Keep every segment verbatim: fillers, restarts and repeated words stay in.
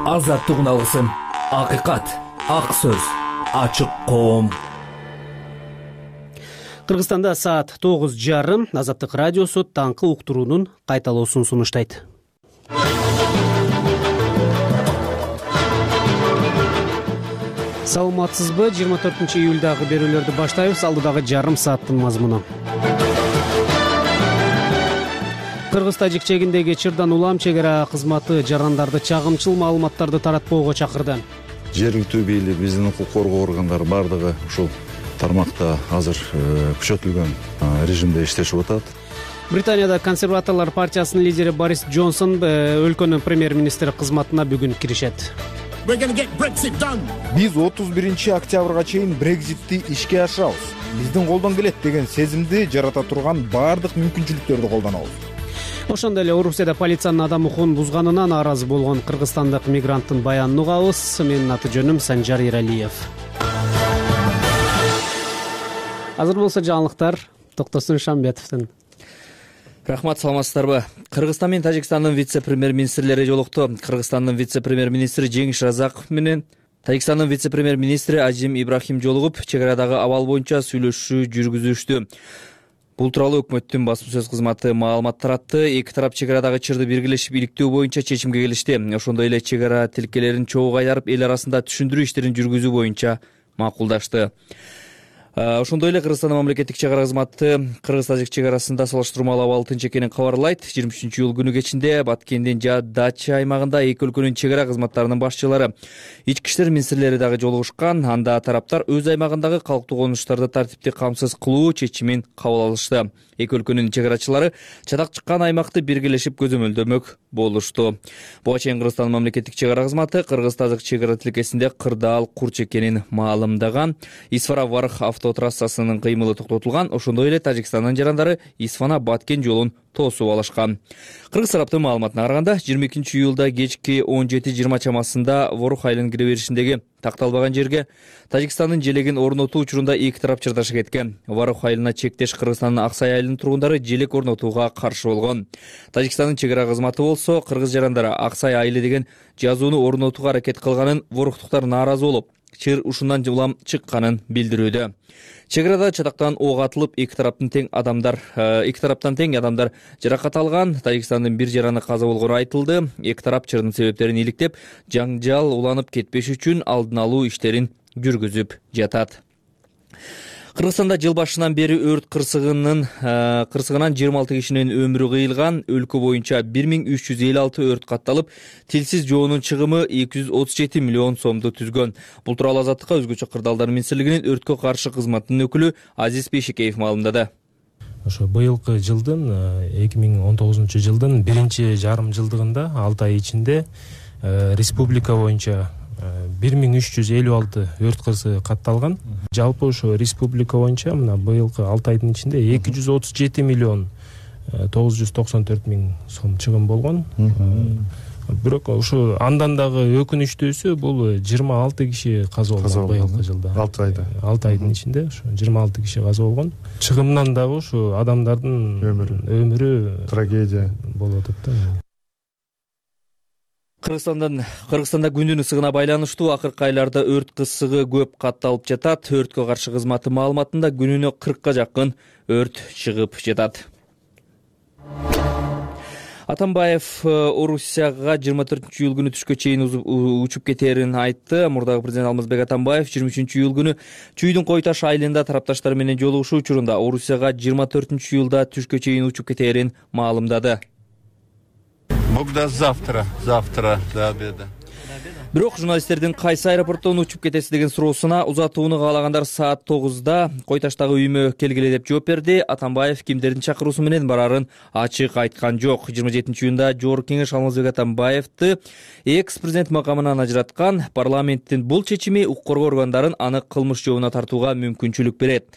азаттыгын алгысың. Акыйкат, ак сөз, ачык коом. Кыргызстанда саат тогуз жарым. Азаттык радиосу таңкы уктуруунун кайталоосун сунуштайт. Саламатсызбы? жыйырма төртүнчү июлдагы берүүлөрдү баштайбыз. Алдыдагы жарым сааттын мазмуну. Кыргыз-Тажик чегиндеги Чырдан улам чегара кызматы жарандарды чагымчыл маалыматтарды таратпоого чакырды. Жергиликтүү бийлик, биздин укук коргоо органдары бардыгы ушул тармакта азыр күчөтүлгөн режимде иштешип атат. Британияда консерваторлор партиясынын лидери Борис Джонсон өлкөнүн премьер-министри кызматына бүгүн киришет. Биз отуз биринчи октябрга чейин Брекзитти ишке ашырабыз. Биздин колдон келет деген сезимди жарата турган баардык мүмкүнчүлүктөрдү колдонобуз. Ошондой эле Орусияда полициянын адам укугун бузганына нааразы болгон кыргызстандык мигранттын баянын угабыз. Менин аты жөнүм Санжар Иралиев. Азыр болсо жаңылыктар Токтосун Шамбетовдун. Рахмат, саламатсыздарбы? Кыргызстан менен Тажикстандын вице-премьер-министрлери жолукту. Кыргызстандын вице-премьер-министри Жеңиш Разаков менен Тажикстандын вице-премьер-министри Азим Ибрахим жолугуп, чегарадагы абал боюнча сүйлөшүү жүргүзүштү. Бул тууралуу өкмөттүн басма сөз кызматы маалымат таратты. Эки тарап чегарадагы чырды белгилешип иликтөө боюнча чечимге келишти. Ошондой эле чегара тилкелерин чогуу кайдарып эл арасында түшүндүрүү иштерин жүргүзүү боюнча макулдашты. Ошондой эле Кыргызстандын мамлекеттик чегара кызматы Кыргыз-Тажик чегарасында салыштырмалуу абал тынч экенин кабарлайт. жыйырма үчүнчү июль күнү кечинде Баткендин Дача аймагында эки өлкөнүн чегара кызматтарынын башчылары, ички иштер министрлери дагы жолугушкан. Анда тараптар өз аймагындагы калктуу конуштарды тартипти камсыз кылуу чечимин кабыл алышты. Эки өлкөнүн чегарачылары чатак чыккан аймакты биргелешип көзөмөлдөмөк болушту. Буга чейин Кыргызстандын мамлекеттик чегара кызматы Кыргыз-Тажик чегара тилкесинде кырдаал курч экенин маалымдаган. Исфара-Варх автотрассасынын кыймылы токтотулган. Ошондой эле Тажикстандын жарандары Исфана-Баткен жолун тоосуп алышкан. Кыргыз тараптын маалыматына караганда, жыйырма экинчи июлда кечки он жети жыйырма чамасында Ворох айылынын кире беришиндеги такталбаган жерге Тажикстандын желегин орнотуу учурунда эки тарап чырдаша кеткен. Ворох айылына чектеш Кыргызстандын Аксай айылынын тургундары желек орнотууга каршы болгон. Тажикстандын чегара кызматы болсо кыргыз жарандары Аксай айылы деген жазууну орнотууга аракет кылганын, ворохтуктар нааразы болуп, чыр ушундан улам чыкканын билдирүүдө. Чегарада чатактан ок атылып, эки тараптын тең адамдар, эки тараптан тең адамдар жаракат алган. Тажикстандын бир жараны каза болгону айтылды. Эки тарап чырдын себептерин иликтеп, жаңжал уланып кетпеш үчүн алдын алуу иштерин жүргүзүп жатат. Кыргызстанда жыл башынан бери өрт кырсыгынын кырсыгынан жыйырма алты кишинин өмүрү кыйылган. Өлкө боюнча бир миң үч жүз элүү алты өрт катталып, тилсиз жоонун чыгымы эки жүз отуз жети миллион сомду түзгөн. Бул тууралуу Азаттыкка өзгөчө кырдаалдар министрлигинин өрткө каршы кызматынын өкүлү Азиз Бейшикеев маалымдады. Ошо быйылкы жылдын эки миң он тогузунчу жылдын биринчи жарым жылдыгында алты ай ичинде республика боюнча бир миң үч жүз элүү алты өрт кырсыгы катталган. Жалпы ошо республика боюнча мына быйылкы алты айдын ичинде эки жүз отуз жети миллион тогуз жүз токсон төрт миң сом чыгым болгон. Бирок ошо андан дагы өкүнүчтүүсү бул жыйырма алты киши каза болгон быйылкы жылда. алты айда. алты айдын ичинде ошо жыйырма алты киши каза болгон. Чыгымдан дагы ошо адамдардын өмүрү өмүрү трагедия болуп атат да. Кыргызстандан Кыргызстанда күндүн ысыгына байланыштуу акыркы айларда өрт кырсыгы көп катталып жатат. Өрткө каршы кызматы маалыматында күнүнө кыркка жакын өрт чыгып жатат. Атамбаев Орусияга жыйырма төртүнчү июль күнү түшкө чейин учуп кетерин айтты. Мурдагы президент Алмазбек Атамбаев жыйырма үчүнчү июль күнү Чүйдүн Койташ айылында тарапташтары менен жолугушуу учурунда Орусияга жыйырма төртүнчү июлда түшкө чейин учуп кетерин маалымдады. Богда завтра, завтра до обеда. Бирок журналисттердин кайсы аэропорттон учуп кетесиз деген суроосуна узатууну каалагандар саат тогузда Койташтагы үйүмө келгиле деп жооп берди. Атамбаев кимдердин чакыруусу менен барарын ачык айткан жок. жыйырма жетинчи июнда Жогорку Кеңеш Алмазбек Атамбаевди экс-президент макамынан ажыраткан. Парламенттин бул чечими укук коргоо органдарын аны кылмыш жообуна тартууга мүмкүнчүлүк берет.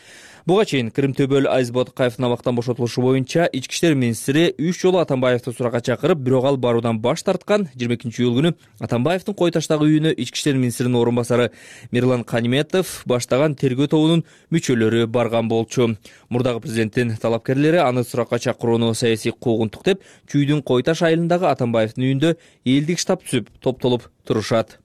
Буга чейин Кырым-Төбөл Азиз Ботукаевдин абактан бошотулушу боюнча ички иштер министри үч жолу Атамбаевди суракка чакырып, бирок ал баруудан баш тарткан. жыйырма экинчи июль күнү Атамбаевдин Кой таштагы үйүнө ички иштер министринин орун басары Мирлан Каниметов баштаган тергөө тобунун мүчөлөрү барган болчу. Мурдагы президенттин талапкерлери аны суракка чакырууну саясий куугунтук деп, Чүйдүн Кой таш айылындагы Атамбаевдин үйүндө элдик штаб түзүп топтолуп турушат.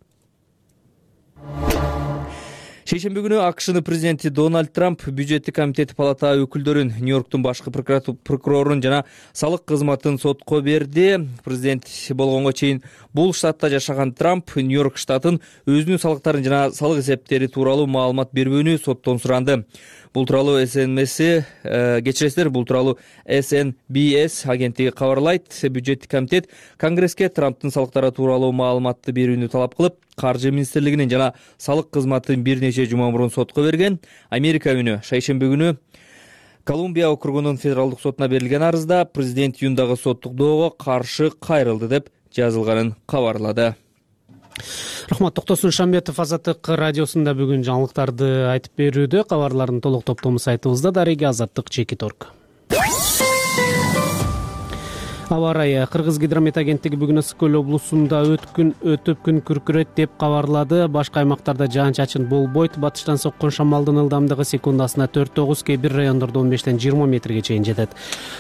Шейшемби күнү АКШнын президенти Дональд Трамп бюджеттик комитети палата өкүлдөрүн, Нью-Йорктун башкы прокурорун жана салык кызматын сотко берди. Президент болгонго чейин бул штатта жашаган Трамп Нью-Йорк штатын өзүнүн салыктарын жана салык эсептери тууралуу маалымат бербөөнү соттон суранды. Бул тууралуу эс эн эс кечиресиздер, бул тууралуу эс эн би эс агенттиги кабарлайт. Бюджеттик комитет Конгресске Трамптын салыктары тууралуу маалыматты берүүнү талап кылып, Каржы министрлигинин жана салык кызматын бир нече жума мурун сотко берген. Америка үнү шейшемби күнү Колумбия округунун федералдык сотуна берилген арызда президент июндагы соттук доого каршы кайрылды деп жазылганын кабарлады. Рахмат. Токтосун Шамбетов Азаттык радиосунда бүгүн жаңылыктарды айтып берүүдө. Кабарлардын толук топтому сайтыбызда. Дареги Азаттык чекит точка орг. Аба ырайы. Кыргыз гидромет агенттиги бүгүн Ысык көл облусунда өткүн өтүп күн күркүрөт деп кабарлады. Башка аймактарда жаан-чачын болбойт. Батыштан соккон шамалдын ылдамдыгы секундасына төрт тогуз, кээ бир райондордо он бештен жыйырма метрге чейин жетет.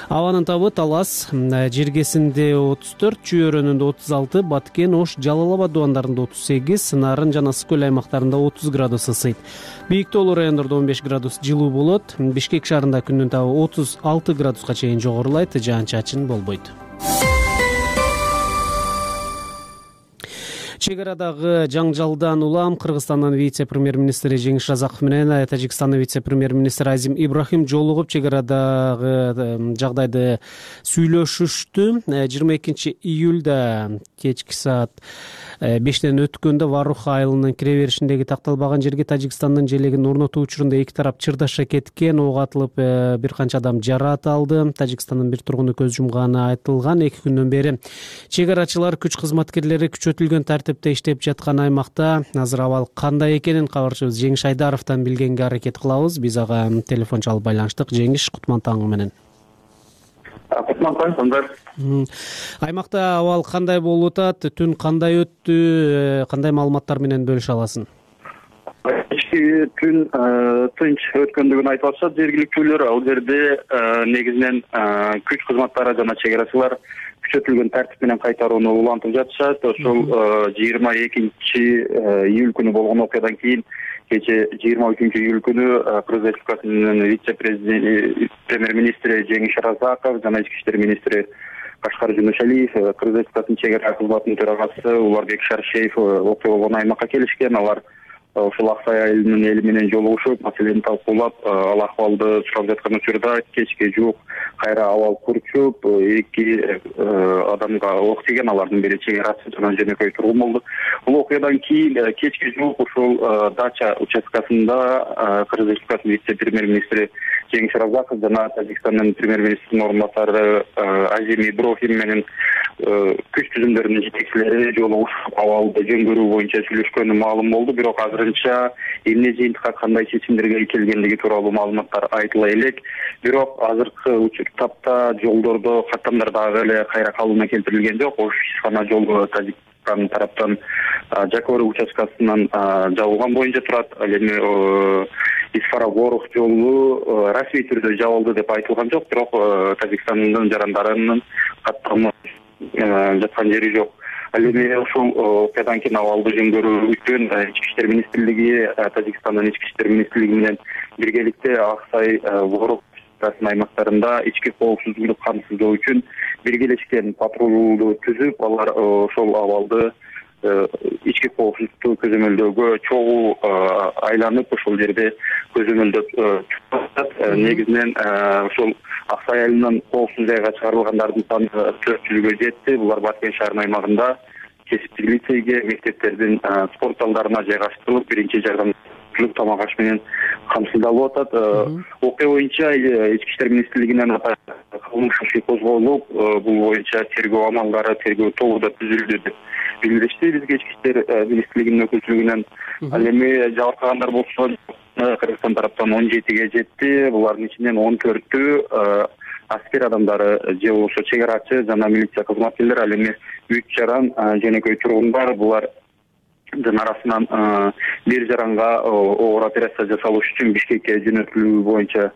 Абанын табы Талас, Жиргесинде отуз төрт, Чүй-өрөнүндө отуз алты, Баткен, Ош, Жалал Абад дубандарында отуз сегиз, Нарын жана Ысык көл аймактарында отуз градус ысыйт. Бийик тоолуу райондордо он беш градус жылуу болот. Бишкек шаарында күндүн табы отуз алты градуска чейин жогорулайт. Жаан-чачын болбойт. Чек арадагы жаңжалдан улам Кыргызстандын вице-премьер-министри Жеңиш Разаков менен Тажикстандын вице-премьер-министри Азим Ибрахим жолугуп чек арадагы жагдайды сүйлөшүштү. жыйырма экинчи июлда кечки саат бештен өткөндө Варуха айылынын кире беришиндеги такталбаган жерге Тажикстандын желегин орнотуу учурунда эки тарап чырдаша кеткен. Ок атылып, бир канча адам жараат алды. Тажикстандын бир тургуну көз жумганы айтылган. эки күндөн бери чек арачылар, күч кызматкерлери күчөтүлгөн тартипте иштеп жаткан аймакта. Азыр абал кандай экенин кабарчыбыз Жеңиш Айдаровдон билгенге аракет кылабыз. Биз ага телефон чалып байланыштык. Жеңиш, кутман таң менен. Кутман таң, сондар. Аймакта абал кандай болуп атат? Түн кандай өттү? Кандай маалыматтар менен бөлүшө аласың? Кечки түн тынч өткөндүгүн айтып атышат жергиликтүүлөр. Ал жерде негизинен күч кызматтары жана чек арачылар күчөтүлгөн тартип менен кайтарууну улантып жатышат. Ошол жыйырма экинчи июль күнү болгон окуядан кийин кече жыйырма үчүнчү июль күнү Кыргыз Республикасынын вице-премьер-министри Жеңиш Разаков жана ички иштер министри Кашкар Жунушалиев, Кыргыз Республикасынын чек ара кызматынын төрагасы Уларбек Шаршеев окуя болгон аймакка келишкен. Алар ошол Аксай айылынын эли менен жолугушуп, маселени талкуулап, ал акыбалды сурап жаткан учурда кечке жуук кайра абал курчуп, эки адамга ок тийген. Алардын бири чек арачы жана жөнөкөй тургун болду. Бул окуядан кийин кечки жуук ушул дача участкасында Кыргыз Республикасынын вице-премьер-министри Жеңиш Разаков жана Тажикстандын премьер-министринин орун басары Азим Ибрахим менен күч түзүмдөрүнүн жетекчилери жолугушуп, абалды жөн көрүү боюнча сүйлөшкөнү маалым болду. Бирок азырынча эмне жыйынтыкка кандай чечимдерге келгендиги тууралуу маалыматтар айтыла элек. Бирок азыркы тапта жолдордо каттамдар дагы эле кайра калыбына келтирилген жок. Ош Ишхана жолу Тажикстан тараптан Жакор участкасынан жабылган боюнча турат. Ал эми Исфара-Горух жолу расмий түрдө жабылды деп айтылган жок. Бирок Тажикстандын жарандарынын каттамы жаткан жери жок. Ал эми ушул окуядан кийин абалды жөн көрүү үчүн ички иштер министрлиги Тажикстандын ички иштер министрлиги менен биргеликте Аксай, Ворук аймактарында ички коопсуздукту камсыздоо үчүн биргелешкен патрулду түзүп, алар ошол абалды ички коопсуздукту көзөмөлдөөгө чогуу айланып, ошол жерде көзөмөлдөп жатат. Негизинен ошол Аксай айылынын коопсуз жайга чыгарылгандардын саны төрт жүзгө жетти. Булар Баткен шаарынын аймагында кесиптик лицейге, мектептердин спорт залдарына жайгаштырылып, биринчи жардам тамак аш менен камсыздалып атат. Окуя боюнча ички иштер министрлигинен кылмыш иши козголуп, бул боюнча тергөө амалдары, тергөө тобу да түзүлдү деп билдиришти бизге ички иштер министрлигинин өкүлчүлүгүнөн. Ал эми жабыркагандар болсо Кыргызстан тараптан он жетиге жетти. Булардын ичинен он төртү аскер адамдары же болбосо чек арачы жана милиция кызматкерлери, ал эми үч жаран жөнөкөй тургундар. Булар арасынан бир жаранга оор операция жасалыш үчүн Бишкекке жөнөтүлүү боюнча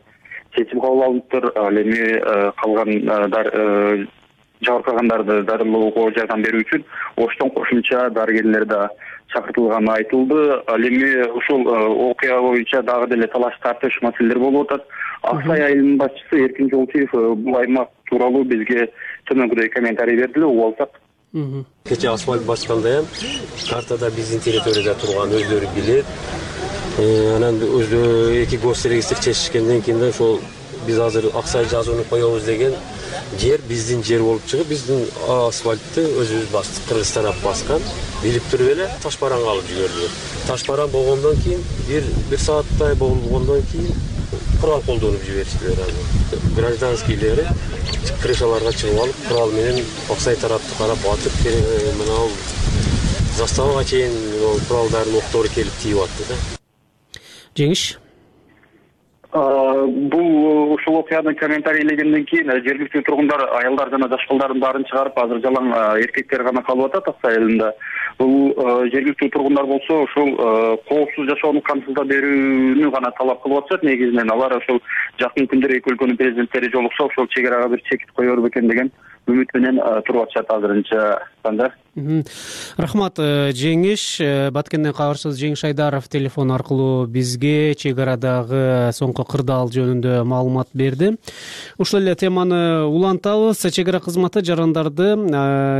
чечим кабыл алыныптыр. Ал эми калгандар жабыркагандарды дарылоого жардам берүү үчүн Оштон кошумча дарыгерлер да чакыртылганы айтылды. Ал эми ушул окуя боюнча дагы деле талаш тартыш маселелер болуп атат. Аксай айылынын башчысы Эркин Жолтиев бул аймак тууралуу бизге төмөнкүдөй комментарий берди. Угуп алсак, кече асфальт басканда ham картада биздин территорияда турган өздөрү билет. Анан өздөрү эки госрегистр чечишкенден кийин да ошол биз азыр Аксай жазууну коебуз деген жер биздин жер болуп чыгып, биздин асфальтты өзүбүз бастык. Кыргызстан алып баскан. Билип туруп эле таш бараңга алып жибердилер. Таш бараң болгондон кийин бир бир сааттай болгондон кийин курал колдонуп жибериштилер. Аны гражданскийлери крышаларга чыгып алып, курал менен Аксай тарапты карап атып, мына заставага чейин куралдардын октору келип тийип атты да. Жеңиш. Бул ушул окуяны комментарийлегенден кийин жергиликтүү тургундар аялдар жана жаш балдардын баарын чыгарып, азыр жалаң эркектер гана калып атат Аксай айылында. Бул жергиликтүү тургундар болсо ушул коопсуз жашоону камсыздап берүүнү гана талап кылып атышат. Негизинен алар ошол жакын күндөр эки өлкөнүн президенттери жолукса, ошол чек арага бир чекит коер бекен деген үмүт менен туруп атышат азырынча. Санжар. Рахмат, Жеңиш. Баткенден кабарчыбыз Жеңиш Айдаров телефон аркылуу бизге чек арадагы соңку кырдаал жөнүндө маалымат берди. Ушул эле теманы улантабыз. Чек ара кызматы жарандарды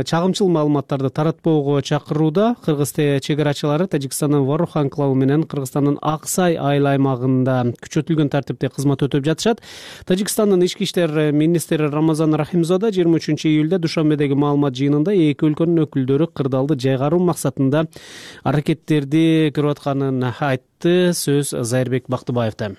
чагымчыл маалыматтарды таратпоого чакырууда. Кыргыз чек арачылары Тажикстандын Ворух анклавы менен Кыргызстандын Аксай айыл аймагында күчөтүлгөн тартипте кызмат өтөп жатышат. Тажикстандын ички иштер министри Рамазан Рахимзода жыйырма үчүнчү июлда Душанбедеги маалымат жыйынында эки өлкөнүн өкүлдөрү кырдаалды жайгаруу максатында аракеттерди көрүп атканын айтты. Сөз Зайырбек Бактыбаевда.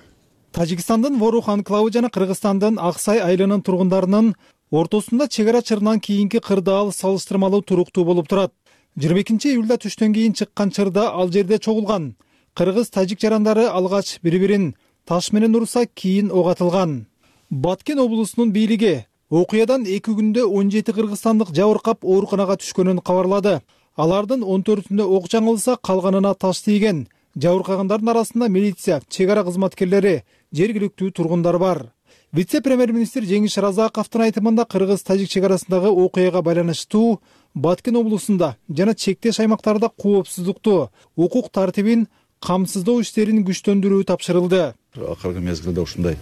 Тажикстандын Ворух анклавы жана Кыргызстандын Аксай айылынын тургундарынын ортосунда чек ара чырынан кийинки кырдаал салыштырмалуу туруктуу болуп турат. жыйырма экинчи июлда түштөн кийин чыккан чырда ал жерде чогулган. Кыргыз-тажик жарандары алгач бири-бирин таш менен урса, кийин ок атылган. Баткен облусунун бийлиги окуядан эки күндө он жети кыргызстандык жабыркап ооруканага түшкөнүн кабарлады. Алардын он төртүндө ок жаңылса, калганына таш тийген. Жабыркагандардын арасында милиция, чек ара кызматкерлери, жергиликтүү тургундар бар. Вице-премьер-министр Жеңиш Разаковдун айтымында кыргыз-тажик чек арасындагы окуяга байланыштуу Баткен облусунда жана чектеш аймактарда коопсуздукту, укук тартибин камсыздоо иштерин күчтөндүрүү тапшырылды. Акыркы мезгилде ушундай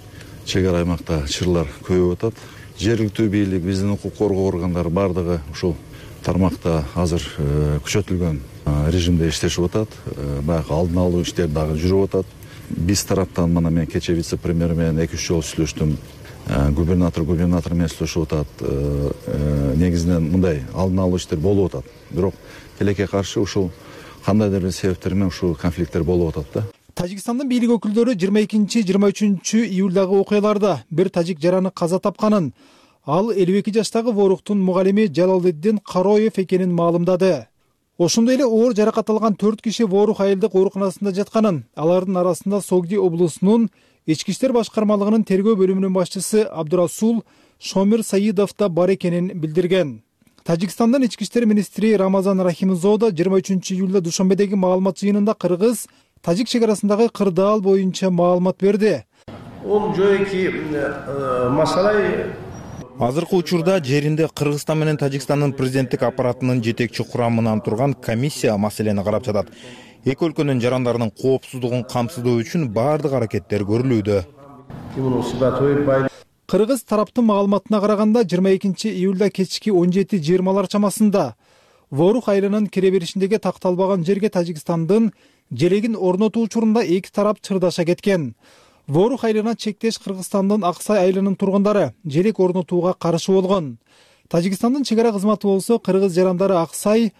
чек ара аймакта чырлар көбөйүп атат. Жергиликтүү бийлик, биздин укук коргоо органдары бардыгы ушул тармакта азыр күчөтүлгөн режимде иштешип атат. Баягы алдын алуу иштери дагы жүрүп атат. Биз тараптан мына мен кече вице-премьер менен эки үч жолу сүйлөштүм. Губернатор губернатор менен сүйлөшүп атат. Негизинен мындай алдын алуу иштер болуп атат. Бирок тилекке каршы ушул кандайдыр бир себептер менен ушул конфликттер болуп атат да. Тажикстандын бийлик өкүлдөрү жыйырма экинчи жыйырма үчүнчү июлдагы окуяларда бир тажик жараны каза тапканын, ал элүү эки жаштагы Воруктун мугалими Жалалдин Кароев экенин маалымдады. Ошондой эле оор жаракат алган төрт киши Ворух айылдык ооруканасында жатканын, алардын арасында Согди облусунун ички иштер башкармалыгынын тергөө бөлүмүнүн башчысы Абдурасул Шомир Саидов да бар экенин билдирген. Тажикстандын ички иштер министри Рамазан Рахимзода жыйырма үчүнчү июлда Душанбедеги маалымат жыйынында Кыргыз тажик чек арасындагы кырдаал боюнча маалымат берди. Азыркы учурда жеринде Кыргызстан менен Тажикстандын президенттик аппаратынын жетекчи курамынан турган комиссия маселени карап жатат. Эки өлкөнүн жарандарынын коопсуздугун камсыздоо үчүн баардык аракеттер көрүлүүдө. Кыргыз тараптын маалыматына караганда жыйырма экинчи июлда кечки он жети жыйырмалар чамасында Ворух айылынын кире беришиндеги такталбаган жерге Тажикстандын желегин орнотуу учурунда эки тарап чырдаша кеткен. Ворух айылына чектеш Кыргызстандын Аксай айылынын тургундары желек орнотууга каршы болгон. Тажикстандын чек ара кызматы болсо кыргыз жарандары Аксай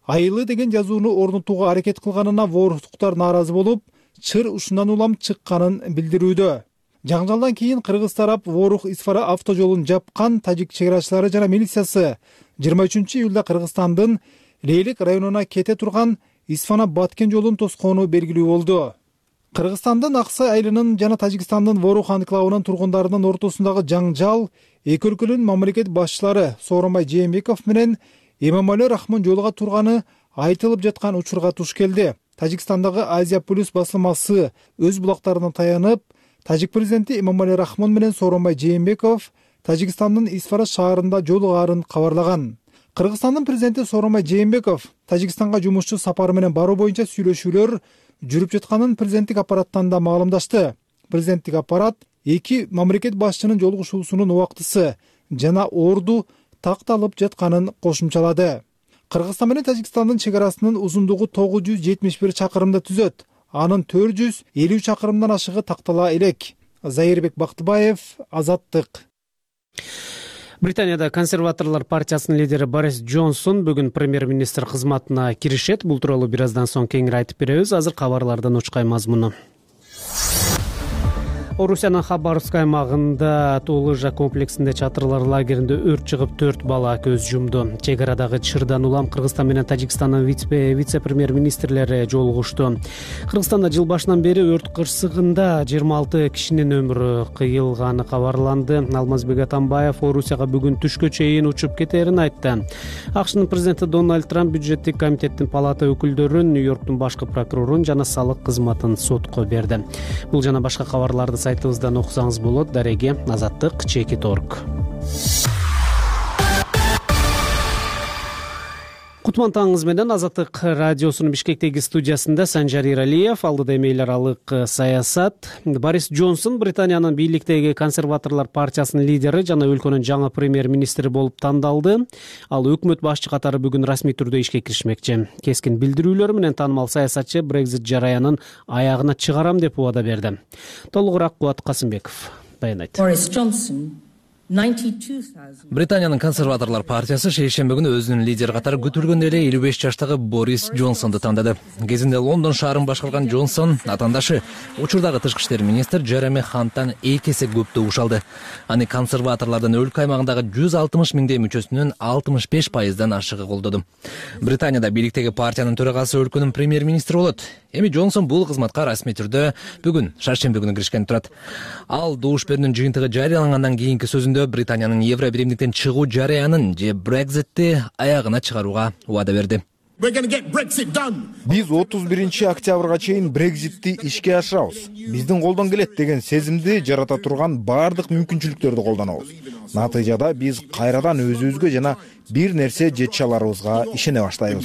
айылы деген жазууну орнотууга аракет кылганына ворухтуктар нааразы болуп, чыр ушундан улам чыкканын билдирүүдө. Жаңжалдан кийин кыргыз тарап Ворух Исфара автожолун жапкан. Тажик чек арачылары жана милициясы жыйырма үчүнчү июлда Кыргызстандын Лейлик районуна кете турган Исфана Баткен жолун тоскону белгилүү болду. Кыргызстандын Ак Сай айылынын жана Тажикстандын Ворух анклавынын тургундарынын ортосундагы жаңжал эки өлкөнүн мамлекет башчылары Сооронбай Жээнбеков менен Эмомали Рахмон жолуга турганы айтылып жаткан учурга туш келди. Тажикстандагы Азия Плюс басылмасы өз булактарына таянып, Тажик президенти Эмомали Рахмон менен Сооронбай Жээнбеков Тажикстандын Исфара шаарында жолугаарын кабарлаган. Кыргызстандын президенти Сооронбай Жээнбеков Тажикстанга жумушчу сапары менен баруу боюнча сүйлөшүүлөр жүрүп жатканын президенттик аппараттан да маалымдашты. Президенттик аппарат эки мамлекет башчынын жолугушуусунун убактысы жана орду такталып жатканын кошумчалады. Кыргызстан менен Тажикстандын чек арасынын узундугу тогуз жүз жетимиш бир чакырымды түзөт. Анын төрт жүз элүү чакырымдан ашыгы тактала элек. Зайырбек Бактыбаев, Азаттык. Британияда консерваторлор партиясынын лидери Борис Джонсон бүгүн премьер-министр кызматына киришет. Бул тууралуу бир аздан соң кеңири айтып беребиз. Азыр кабарлардын учкай мазмуну. Орусиянын Хабаровск аймагында Туулыжа комплексинде чатырлар лагеринде өрт чыгып төрт бала көз жумду. Чек арадагы чырдан улам Кыргызстан менен Тажикстандын вице-премьер-министрлери жолугушту. Кыргызстанда жыл башынан бери өрт кырсыгында жыйырма алты кишинин өмүрү кыйылганы кабарланды. Алмазбек Атамбаев Орусияга бүгүн түшкө чейин учуп кетерин айтты. АКШнын президенти Дональд Трамп бюджеттик комитеттин палата өкүлдөрүн, Нью-Йорктун башкы прокурорун жана салык кызматын сотко берди. Бул жана башка кабарларды сайтыбыздан окусаңыз болот. Дареге Азаттык, Чекит Орг. Кутман таңыңыз менен Азаттык радиосунун Бишкектеги студиясында Санжар Иралиев. Алдыда эми эл аралык саясат. Борис Джонсон Британиянын бийликтеги консерваторлор партиясынын лидери жана өлкөнүн жаңы премьер-министри болуп тандалды. Ал өкмөт башчы катары бүгүн расмий түрдө ишке киришмекчи. Кескин билдирүүлөр менен таанымал саясатчы Brexit жараянын аягына чыгарам деп убада берди. Толугураак Кубат Касымбеков баянайт. Борис Джонсон Британиянын консерваторлор партиясы шейшембе күнү өзүнүн лидери катары күтүлгөндөй эле элүү беш жаштагы Борис Джонсонду тандады. Кезинде Лондон шаарын башкарган Джонсон атаандашы учурдагы тышкы иштер министр Джереми Ханттан эки эсе көп добуш алды. Аны консерваторлордун өлкө аймагындагы жүз алтымыш миңдей мүчөсүнүн алтымыш беш пайыздан ашыгы колдоду. Британияда бийликтеги партиянын төрагасы өлкөнүн премьер-министри болот. Эми Джонсон бул кызматка расмий түрдө бүгүн шаршембе күнү киришкен турат. Ал добуш берүүнүн жыйынтыгы жарыялангандан кийинки сөзүндө Британиянын Евро биримдиктен чыгуу жарыянын же Brexit'ти аягына чыгарууга убада берди. Биз отуз биринчи октябрга чейин Brexit'ти ишке ашырабыз. Биздин колдон келет деген сезимди жарата турган бардык мүмкүнчүлүктөрдү колдонобуз. Натыйжада биз кайрадан өзүбүзгө жана бир нерсе жете аларыбызга ишене баштайбыз,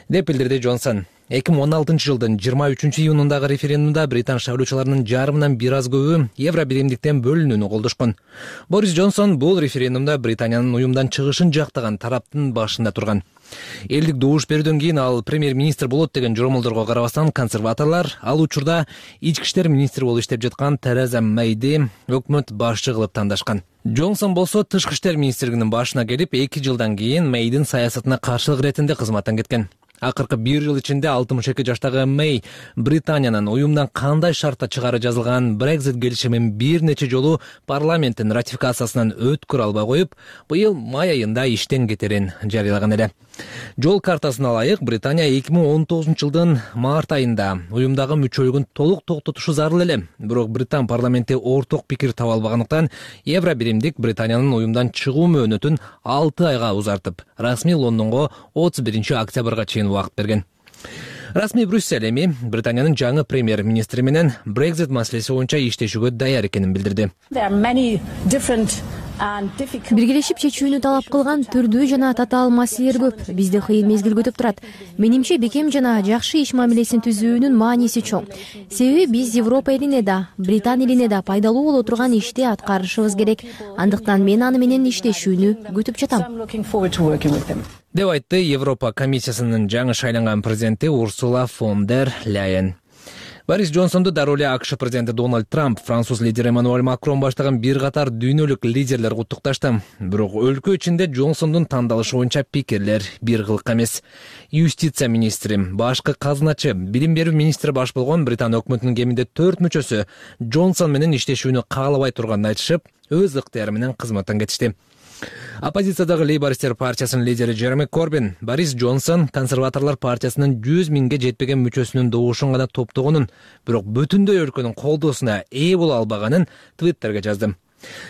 деп билдирди Джонсон. эки миң он алтынчы жылдын жыйырма үчүнчү июнундагы референдумда британ шайлоочуларынын жарымынан бир аз көбү Евро биримдиктен бөлүнүүнү колдошкон. Борис Джонсон бул референдумда Британиянын уюмдан чыгышын жактаган тараптын башында турган. Элдик добуш берүүдөн кийин ал премьер-министр болот деген жоромолдорго карабастан консерваторлор ал учурда ички иштер министри болуп иштеп жаткан Тереза Мэйди өкмөт башчы кылып тандашкан. Джонсон болсо тышкы иштер министрлигинин башына келип, эки жылдан кийин Мэйдин саясатына каршылык иретинде кызматтан кеткен. Акыркы бир жыл ичинде алтымыш эки жаштагы Мэй Британиянын уюмдан кандай шартта чыгары жазылган Brexit келишимин бир нече жолу парламенттин ратификациясынан өткөрө албай коюп, быйыл май айында иштен кетерин жарыялаган эле. Жол картасына ылайык Британия эки миң он тогузунчу жылдын март айында уюмдагы мүчөлүгүн толук токтотушу зарыл эле. Бирок Британ парламенти орток пикир таба албагандыктан Евро биримдик Британиянын уюмдан чыгуу мөөнөтүн алты айга узартып, расмий Лондонго отуз биринчи октябрга чейин убакыт берген. Расмий Брюссель эми Британиянын жаңы премьер-министри менен Brexit маселеси боюнча иштешүүгө даяр экенин билдирди. Биргелешип чечүүнү талап кылган түрдүү жана татаал маселелер көп. Бизди кыйын мезгил күтүп турат. Менимче бекем жана жакшы иш мамилесин түзүүнүн мааниси чоң. Себеби биз Европа элине да, Британ элине да пайдалуу боло турган ишти аткарышыбыз керек. Андыктан мен аны менен иштешүүнү күтүп жатам, деп айтты Европа комиссиясынын жаңы шайланган президенти Урсула фон дер Ляйен. Борис Джонсонду дароо эле АКШ президенти Дональд Трамп, француз лидери Эммануэль Макрон баштаган бир катар дүйнөлүк лидерлер куттукташты. Бирок өлкө ичинде Джонсондун тандалышы боюнча пикирлер бир кылык эмес. Юстиция министри, башкы казыначы, билим берүү министри баш болгон Британ өкмөтүнүн кеминде төрт мүчөсү Джонсон менен иштешүүнү каалабай турганын айтышып, өз ыктыяры менен кызматтан кетишти. Оппозициядагы Лейбористтер партиясынын лидери Джереми Корбин Борис Джонсон консерваторлор партиясынын жүз миңге жетпеген мүчөсүнүн добушун гана топтогонун, бирок бүтүндөй өлкөнүн колдоосуна ээ боло албаганын Твиттерге жазды.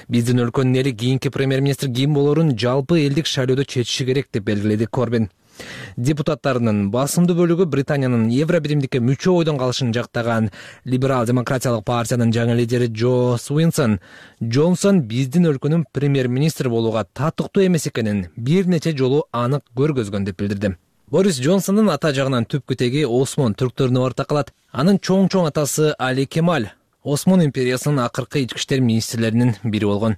Биздин өлкөнүн эли кийинки премьер-министр ким болорун жалпы элдик шайлоодо чечиши керек деп белгиледи Корбин. Депутаттарынын басымдуу бөлүгү Британиянын Евробиримдикке мүчө ойдон калышын жактаган Либерал демократиялык партиянын жаңы лидери Джо Суинсон Джонсон биздин өлкөнүн премьер-министри болууга татыктуу эмес экенин бир нече жолу анык көргөзгөн деп билдирди. Борис Джонсондун ата жагынан түпкү теги Осмон түрктөрүнө ортакалат. Анын чоң-чоң атасы Али Кемаль Осмон империясынын акыркы ички иштер министрлеринин бири болгон.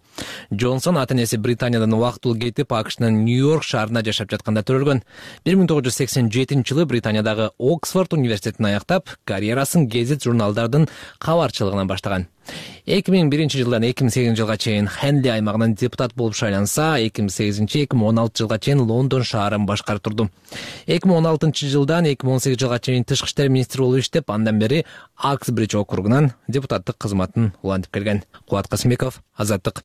Джонсон ата-энеси Британиядан убактылуу кетип, АКШнын Нью-Йорк шаарында жашап жатканда төрөлгөн. бир миң тогуз жүз сексен жетинчи жылы Британиядагы Оксфорд университетин аяктап, карьерасын гезит журналдардын кабарчылыгынан баштаган. эки миң биринчи жылдан эки миң сегизинчи жылга чейин Хенли аймагынын депутат болуп шайланса, эки миң сегизинчи эки миң он алтынчы жылга чейин Лондон шаарын башкарып турду. эки миң он алтынчы жылдан эки миң он сегизинчи жылга чейин тышкы иштер министри болуп иштеп, андан бери Аксбридж округунан депутаттык кызматын улантып келген. Кубат Касымбеков, Азаттык.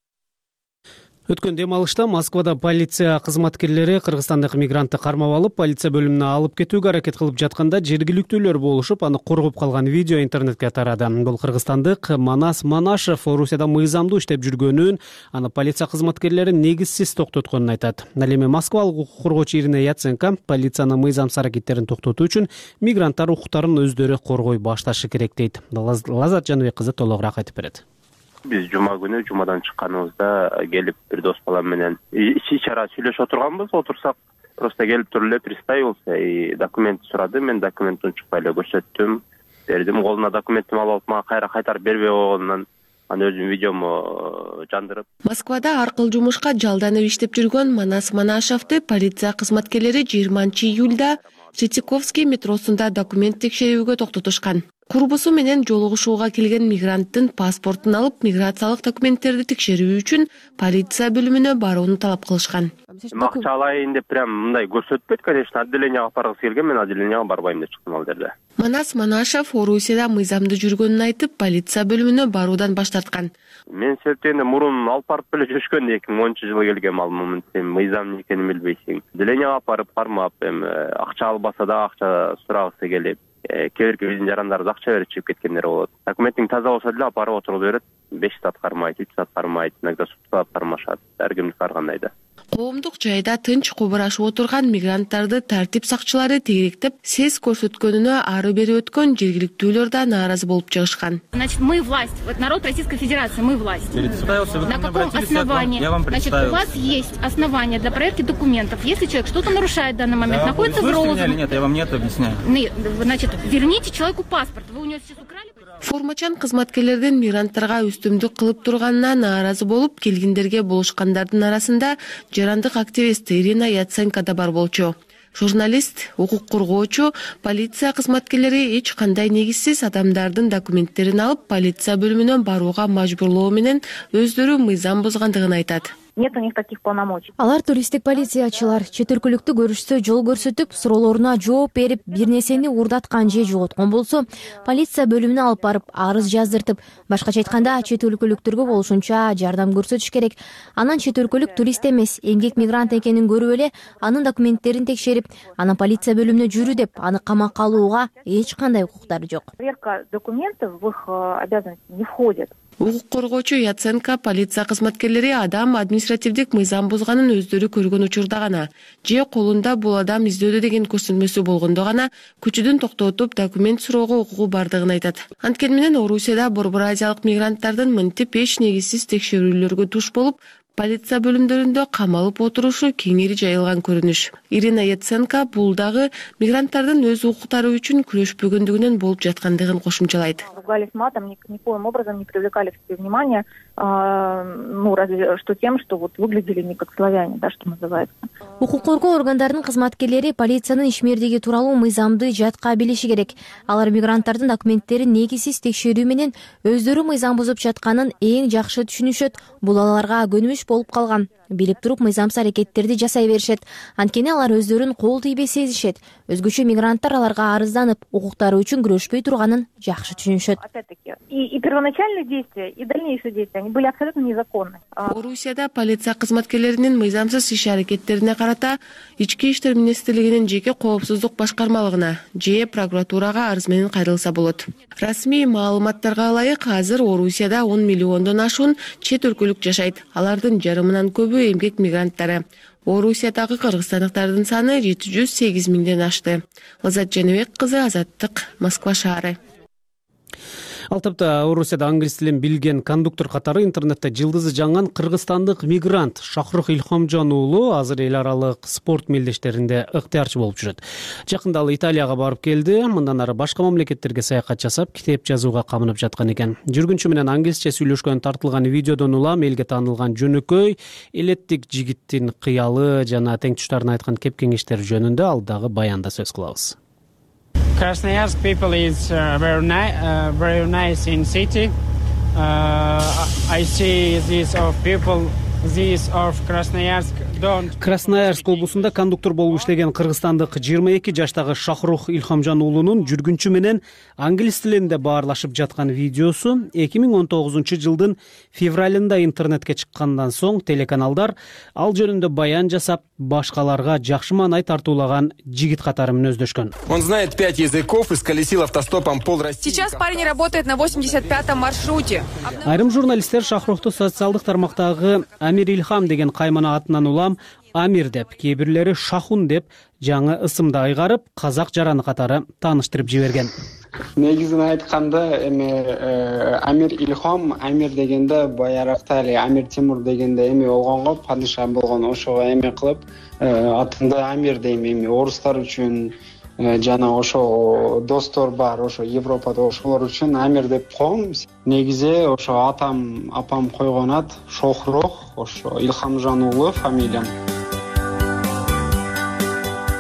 Өткөн дем алышта Москвада полиция кызматкерлери кыргызстандык мигрантты кармап алып, полиция бөлүмүнө алып кетүүгө аракет кылып жатканда жергиликтүүлөр болушуп, аны коргоп калган видео интернетке тарады. Бул кыргызстандык Манас Манашев Орусияда мыйзамдуу иштеп жүргөнүн, аны полиция кызматкерлери негизсиз токтотконун айтат. Ал эми Москвалык укук коргоочу Ирина Яценко полициянын мыйзамсыз аракеттерин токтотуу үчүн мигранттар укуктарын өздөрү коргой башташы керек дейт. Лазат Жаныбек кызы толугураак айтып берет. Биз жума күнү жумадан чыкканыбызда келип бир дос балам менен ичи чара сүйлөшүп отурганбыз. Отурсак просто келип туруп эле представился и документ сурады. Мен документтин чыкпай эле көрсөттүм, бердим. Колуна документти алып алып, мага кайра кайтарып бербей койгонунан аны өзүм видеому жандырып. Москвада аркыл жумушка жалданып иштеп жүргөн Манас Манашевди полиция кызматкерлери жыйырманчы июлда Третьяковский метросунда документ текшерүүгө токтотушкан. Курбусу менен жолугушууга келген мигранттын паспортун алып, миграциялык документтерди текшерүү үчүн полиция бөлүмүнө барууну талап кылышкан. Акча алайын деп прям мындай көрсөтпөйт, конечно, отделенияга апаргысы келген, мен отделенияга барбайм деп чыктым ал жерде. Манас Манашев Орусияда мыйзамдуу жүргөнүн айтып, полиция бөлүмүнө баруудан баш тарткан. Мен сертенде мурун алып барып эле жүрүшкөн, эки миң онунчу жылы келгем ал момент. Сен мыйзам экенин билбейсиң. Отделенияга апарып кармап, эми акча албаса да акча сурагысы келип, кээ бирки биздин жарандарыбыз акча берип чыгып кеткендер болот. Документиң таза болсо деле апарып отуруп берет. беш саат кармайт, үч саат кармайт, иногда суткалап кармашат. Ар кимдики ар кандай да. Коомдук жайда тынч кубурашып отурган мигранттарды тартип сакчылары тегеректеп, сес көрсөткөнүнө ары бери өткөн жергиликтүүлөр да нааразы болуп чыгышкан. Значит, мы власть, вот народ Российской Федерации, мы власть. На каком основании? Значит, у вас есть основания для проверки документов. Если человек что-то нарушает в данный момент, находится в розыске. Нет, я вам нет объясняю. Значит, верните человеку паспорт. Вы у него сейчас украли? Формачан кызматкерлердин мигранттарга үстүмдүк кылып турганына нааразы болуп, келгендерге болушкандардын арасында жарандык активист Ирина Яценко да бар болчу. Журналист, укук коргоочу, полиция кызматкерлери эч кандай негизсиз адамдардын документтерин алып, полиция бөлүмүнө барууга мажбурлоо менен өздөрү мыйзам бузгандыгын айтат. Нет у них таких полномочий. Алар туристтик полициячылар чет өлкөлүктү көрүшсө жол көрсөтүп, суроолоруна жооп берип, бир нерсени урдаткан же жоготкон болсо, полиция бөлүмүнө алып барып, арыз жаздыртып, башкача айтканда чет өлкөлүктөргө болушунча жардам көрсөтүш керек. Анан чет өлкөлүк турист эмес, эмгек мигрант экенин көрүп эле, анын документтерин текшерип, анан полиция бөлүмүнө жүрү деп, аны камакка алууга эч кандай укуктары жок. Проверка документов в их обязанности не входит. Укук коргоочу Яценко полиция кызматкерлери адам административдик мыйзам бузганын өздөрү көргөн учурда гана же колунда бул адам издөөдө деген көрсөтмөсү болгондо гана күчүдөн токтотуп документ суроого укугу бардыгын айтат. Анткени менен Орусияда Борбор Азиялык мигранттардын мынтип эч негизсиз текшерүүлөргө туш болуп, полиция бөлүмдөрүндө камалып отурушу кеңири жайылган көрүнүш. Ирина Яценко бул дагы мигранттардын өз укуктары үчүн күрөшпөгөндүгүнөн болуп жаткандыгын кошумчалайт. Ругались матом, никоим образом не привлекали к себе внимания, ну, разве что тем, что вот выглядели не как славяне, да, что называется. Укук коргоо органдарынын кызматкерлери полициянын ишмердиги тууралуу мыйзамды жатка билиши керек. Алар мигранттардын документтерин негизсиз текшерүү менен өздөрү мыйзам бузуп жатканын эң жакшы түшүнүшөт. Бул аларга көнүмүш болуп калган. Билип туруп мыйзамсыз аракеттерди жасай беришет. Анткени алар өздөрүн кол тийбей сезишет. Өзгөчө мигранттар аларга арызданып, укуктары үчүн күрөшпөй турганын жакшы түшүнүшөт. И первоначальные действия, и дальнейшие действия, они были абсолютно незаконны. Орусияда полиция кызматкерлеринин мыйзамсыз иш аракеттерине карата Ички иштер министрлигинин жеке коопсуздук башкармалыгына же прокуратурага арыз менен кайрылса болот. Расмий маалыматтарга ылайык, азыр Орусияда он миллиондон ашуун чет өлкөлүк жашайт. Алардын жарымынан көбү эмгек мигранттары. Орусиядагы кыргызстандыктардын саны жети жүз сегиз миңден ашты. Лазат Жаныбек кызы, Азаттык, Москва шаары. Ал тапта Орусияда англис тилин билген кондуктор катары интернетте жылдызы жанган кыргызстандык мигрант Шахрух Илхомжон уулу азыр эл аралык спорт мелдештеринде ыктыярчы болуп жүрөт. Жакында ал Италияга барып келди, мындан ары башка мамлекеттерге саякат жасап, китеп жазууга камынып жаткан экен. Жүргүнчү менен англисче сүйлөшкөн тартылган видеодон улам элге таанылган жөнөкөй, элеттик жигиттин кыялы жана тең туштарын айткан кеп кеңештери жөнүндө ал дагы баянда сөз кылабыз. Krasnoyarsk people is uh, very, ni- uh, very nice in city. Uh, I see this of people, this of Krasnoyarsk don't. Красноярск облусунда кондуктор болуп иштеген кыргызстандык жыйырма эки жаштагы Шахрух Илхомжон уулунун жүргүнчү менен англис тилинде баарлашып жаткан видеосу эки миң он тогузунчу жылдын февралында интернетке чыккандан соң телеканалдар ал жөнүндө баян жасап, башкаларга жакшы маанай тартуулаган жигит катары мүнөздөшкөн. Он знает пять языков и сколесил автостопом пол России. Сейчас парень работает на восемьдесят пятом маршруте. Айрым журналисттер Шахрухту социалдык тармактагы Амир Илхам деген каймана атынан улам Амир деп, кээ бирлери Шахун деп жаңы ысымды айгарып, казак жараны катары тааныштырып жиберген. Негизин айтканда эми Амир Илхам, Амир дегенде баяракта эле Амир Тимур дегенде эми болгонго, падыша болгон, ошого эми кылып атымды Амир дейм. Эми орустар үчүн жана ошо достор бар, ошо Европада ошолор үчүн Амир деп коем. Негизи ошо атам, апам койгон ат Шохрух, ошо Илхомжон уулу фамилиям.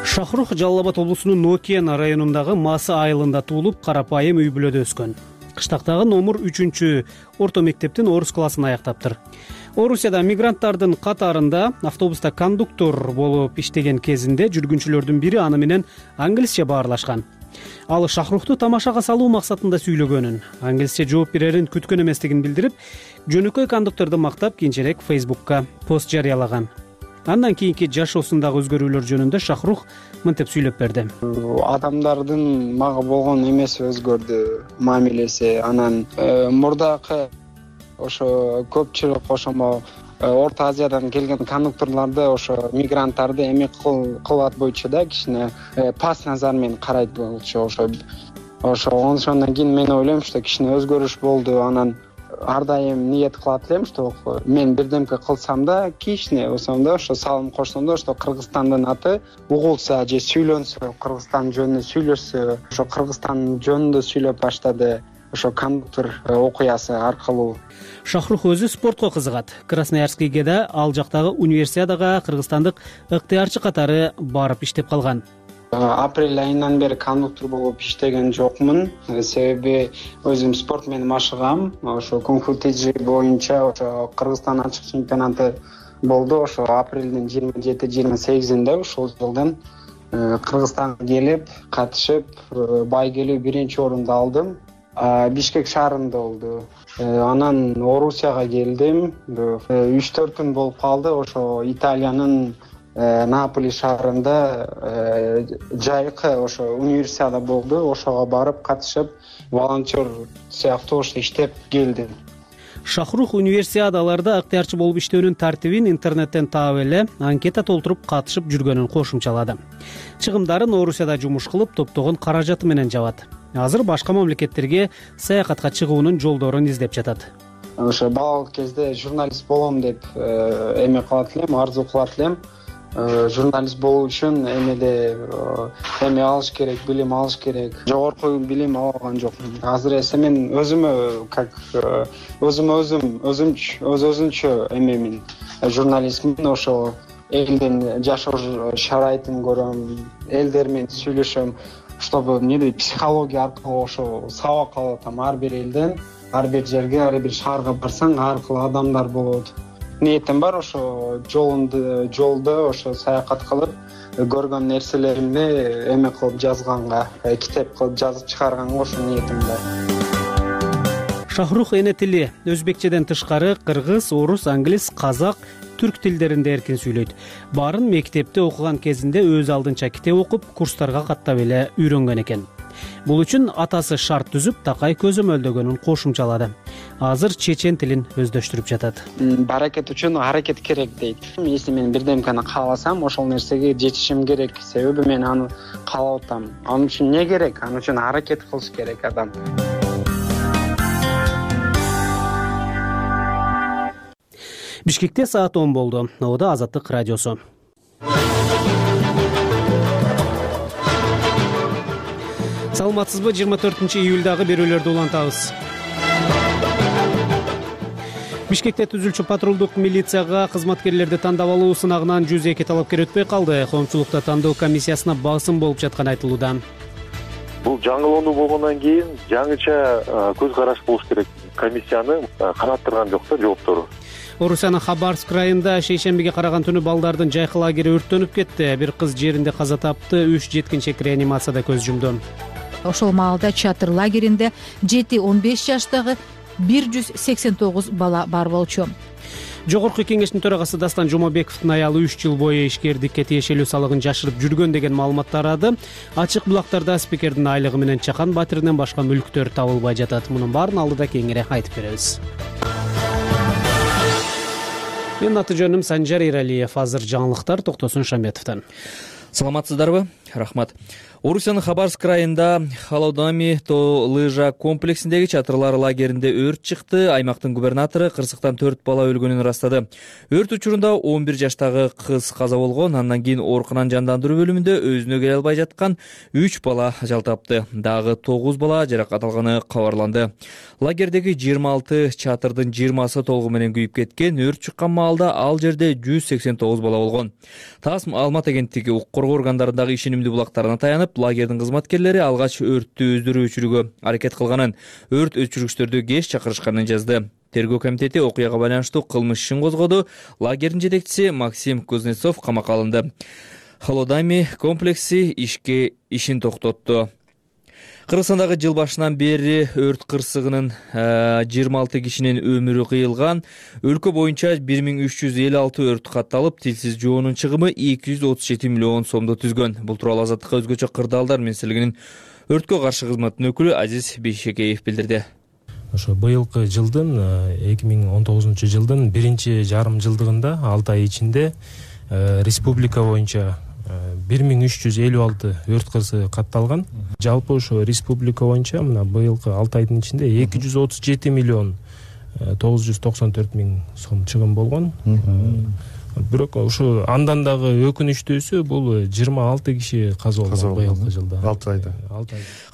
Шахрух Жалал Абад облусунун Нокен районундагы Масы айылында туулуп, карапайым үй бүлөдө өскөн. Кыштактагы номур үчүнчү орто мектептин орус классын аяктаптыр. Орусияда мигранттардын катарында автобуста кондуктор болуп иштеген кезинде жүргүнчүлөрдүн бири аны менен англисче баарлашкан. Ал Шахрухту тамашага салуу максатында сүйлөгөнүн, англисче жооп берерин күткөн эместигин билдирип, жөнөкөй кондукторду мактап кийинчерээк Facebook'ка пост жарыялаган. Андан кийинки жашоосундагы өзгөрүүлөр жөнүндө Шахрух мынтип сүйлөп берди. Адамдардын мага болгон эмеси өзгөрдү, мамилеси. Анан мурдакы ошо көпчүлүк ошомо Орто Азиядан келген кондукторлорду, ошо мигранттарды эми кылат бойчу да кичине пас назар менен карайт болчу. Ошо ошо ошондон кийин мен ойлойм, что кичине өзгөрүш болду. Анан ар дайым ниет кылат элем, что мен бирдемке кылсам да, кичине болсом да, ошо салым кошсом да, что Кыргызстандын аты угулса же сүйлөнсө, Кыргызстан жөнүндө сүйлөшсө, ошо Кыргызстан жөнүндө сүйлөп баштады. Ошо кондуктор окуясы аркылуу. Шахрух өзү спортко кызыгат. Красноярскийге ал жактагы универсиадага кыргызстандык ыктыярчы катары барып иштеп калган. Апрель айынан бери кондуктор болуп иштеген жокмун. Себеби өзүм спорт менен машыгам. Ошо кунг-фу тежи боюнча ошо Кыргызстан ачык чемпионаты болду. Ошо апрелдин жыйырма жети жыйырма сегизинде ушул жылдын Кыргызстанга келип, катышып, байгелүү биринчи орунду алдым. Бишкек шаарында болду. Анан Орусияга келдим. үч төрт күн болуп калды. Ошо Италиянын Наполи шаарында жайкы ошо универсиада болду. Ошого барып катышып, волонтер сыяктуу ошо иштеп келдим. Шахрух универсиадаларда ыктыярчы болуп иштөөнүн тартибин интернеттен таап эле анкета толтуруп катышып жүргөнүн кошумчалады. Чыгымдарын Орусияда жумуш кылып, топтогон каражаты менен жабат. Азыр башка мамлекеттерге саякатка чыгуунун жолдорун издеп жатат. Ошо балалык кезде журналист болом деп эме кылат элем, арзу кылат элем. Журналист болуу үчүн эмеде эме алыш керек, билим алыш керек. Жогорку билим алган жокмун. Азыр эсе мен өзүмө как өзүмө өзүм өзүмчө өз өзүнчө эмемин, журналистмин. Ошо элдин жашоо шарайтын көрөм, элдер менен сүйлөшөм, чтобы эмне психология аркылуу ошо сабак алып атам ар бир элден. Ар бир жерге, ар бир шаарга барсаң, ар кыл адамдар болот. ниетим бар. Ошо жолунду жолдо ошо саякат кылып көргөн нерселеримди эме кылып жазганга, китеп кылып жазып чыгарганга ошо ниетим бар. Шахрух эне тили өзбекчеден тышкары кыргыз, орус, англис, казак, түрк тилдеринде эркин сүйлөйт. Баарын мектепте окуган кезинде өз алдынча китеп окуп, курстарга каттап эле үйрөнгөн экен. Бул үчүн атасы шарт түзүп, такай көзөмөлдөгөнүн кошумчалады. Азыр чечен тилин өздөштүрүп жатат. Баракет үчүн аракет керек дейт. Если мен бирдемкени кааласам, ошол нерсеге жетишим керек. Себеби мен аны каалап атам. Ал үчүн эмне керек? Ал үчүн аракет кылыш керек адам. Бишкекте саат он болду. Ода Азаттык радиосу. Саламатсызбы? жыйырма төртүнчү июлдагы берүүлөрдү улантабыз. Бишкекте түзүлчү патрулдук милицияга кызматкерлерди тандап алуу сынагынан жүз эки талапкер өтпөй калды. Коомчулукта тандоо комиссиясына басым болуп жатканы айтылууда. Бул жаңылоону болгондон кийин жаңыча көз караш болуш керек. Комиссияны канаттырган жок да жооптору. Орусиянын Хабаровск районунда шейшембиге караган түнү балдардын жайкы лагери өрттөнүп кетти. Бир кыз жеринде каза тапты, үч жеткинчек реанимацияда көз жумду. Ошол маалда чатыр лагеринде жети он беш жаштагы бир жүз сексен тогуз бала бар болчу. Жогорку кеңештин төрагасы Дастан Жомобековдун аялы үч жыл бою ишкердикке тиешелүү салыгын жашырып жүргөн деген маалымат тарады. Ачык булактарда спикердин айлыгы менен Чакан батиринен башка мүлктөр табылбай жатат. Мунун баарын алдыда кеңири айтып беребиз. Менин аты жөнүм Санжар Иралиев. Азыр жаңылыктар Токтосун Шамбетовдон. Саламатсыздарбы? Рахмат. Орусиянын Хабаровск районунда Холодами то лыжа комплексиндеги чатырлар лагеринде өрт чыкты. Аймактын губернатору кырсыктан төрт бала өлгөнүн ырастады. Өрт учурунда он бир жаштагы кыз каза болгон. Андан кийин оорукананын жандандыруу бөлүмүндө өзүнө келе албай жаткан үч бала ажал тапты. Дагы тогуз бала жаракат алганы кабарланды. Лагердеги жыйырма алты чатырдын жыйырмасы толугу менен күйүп кеткен. Өрт чыккан маалда ал жерде жүз сексен тогуз бала болгон. ТАСС маалымат агенттиги укук коргоо органдарындагы ишенимдүү булактарына таянып, лагердин кызматкерлери алгач өрттү өздөрү өчүрүүгө аракет кылганын, өрт өчүргүчтөрдү кеч чакырышканын жазды. Тергөө комитети окуяга байланыштуу кылмыш ишин козгоду. Лагердин жетекчиси Максим Кузнецов камакка алынды. Холодами комплекси ишке ишин токтотту. Кыргызстандагы жыл башынан бери өрт кырсыгынын жыйырма алты кишинин өмүрү кыйылган. Өлкө боюнча бир миң үч жүз элүү алты өрт катталып, тилсиз жоонун чыгымы эки жүз отуз жети миллион сомду түзгөн. Бул тууралуу Азаттыкка өзгөчө кырдаалдар министрлигинин өрткө каршы кызматтын өкүлү Азиз Бейшекеев билдирди. Ошо быйылкы жылдын эки миң он тогузунчу жылдын биринчи жарым жылдыгында алты ай ичинде республика боюнча бир миң үч жүз элүү алты өрт кырсыгы катталган. Жалпы ошо республика боюнча мына быйылкы алты айдын ичинде эки жүз отуз жети миллион тогуз жүз токсон төрт миң сом чыгым болгон. Бирок ошо андан дагы өкүнүчтүүсү бул жыйырма алты киши каза болгон быйылкы жылда. алты айда.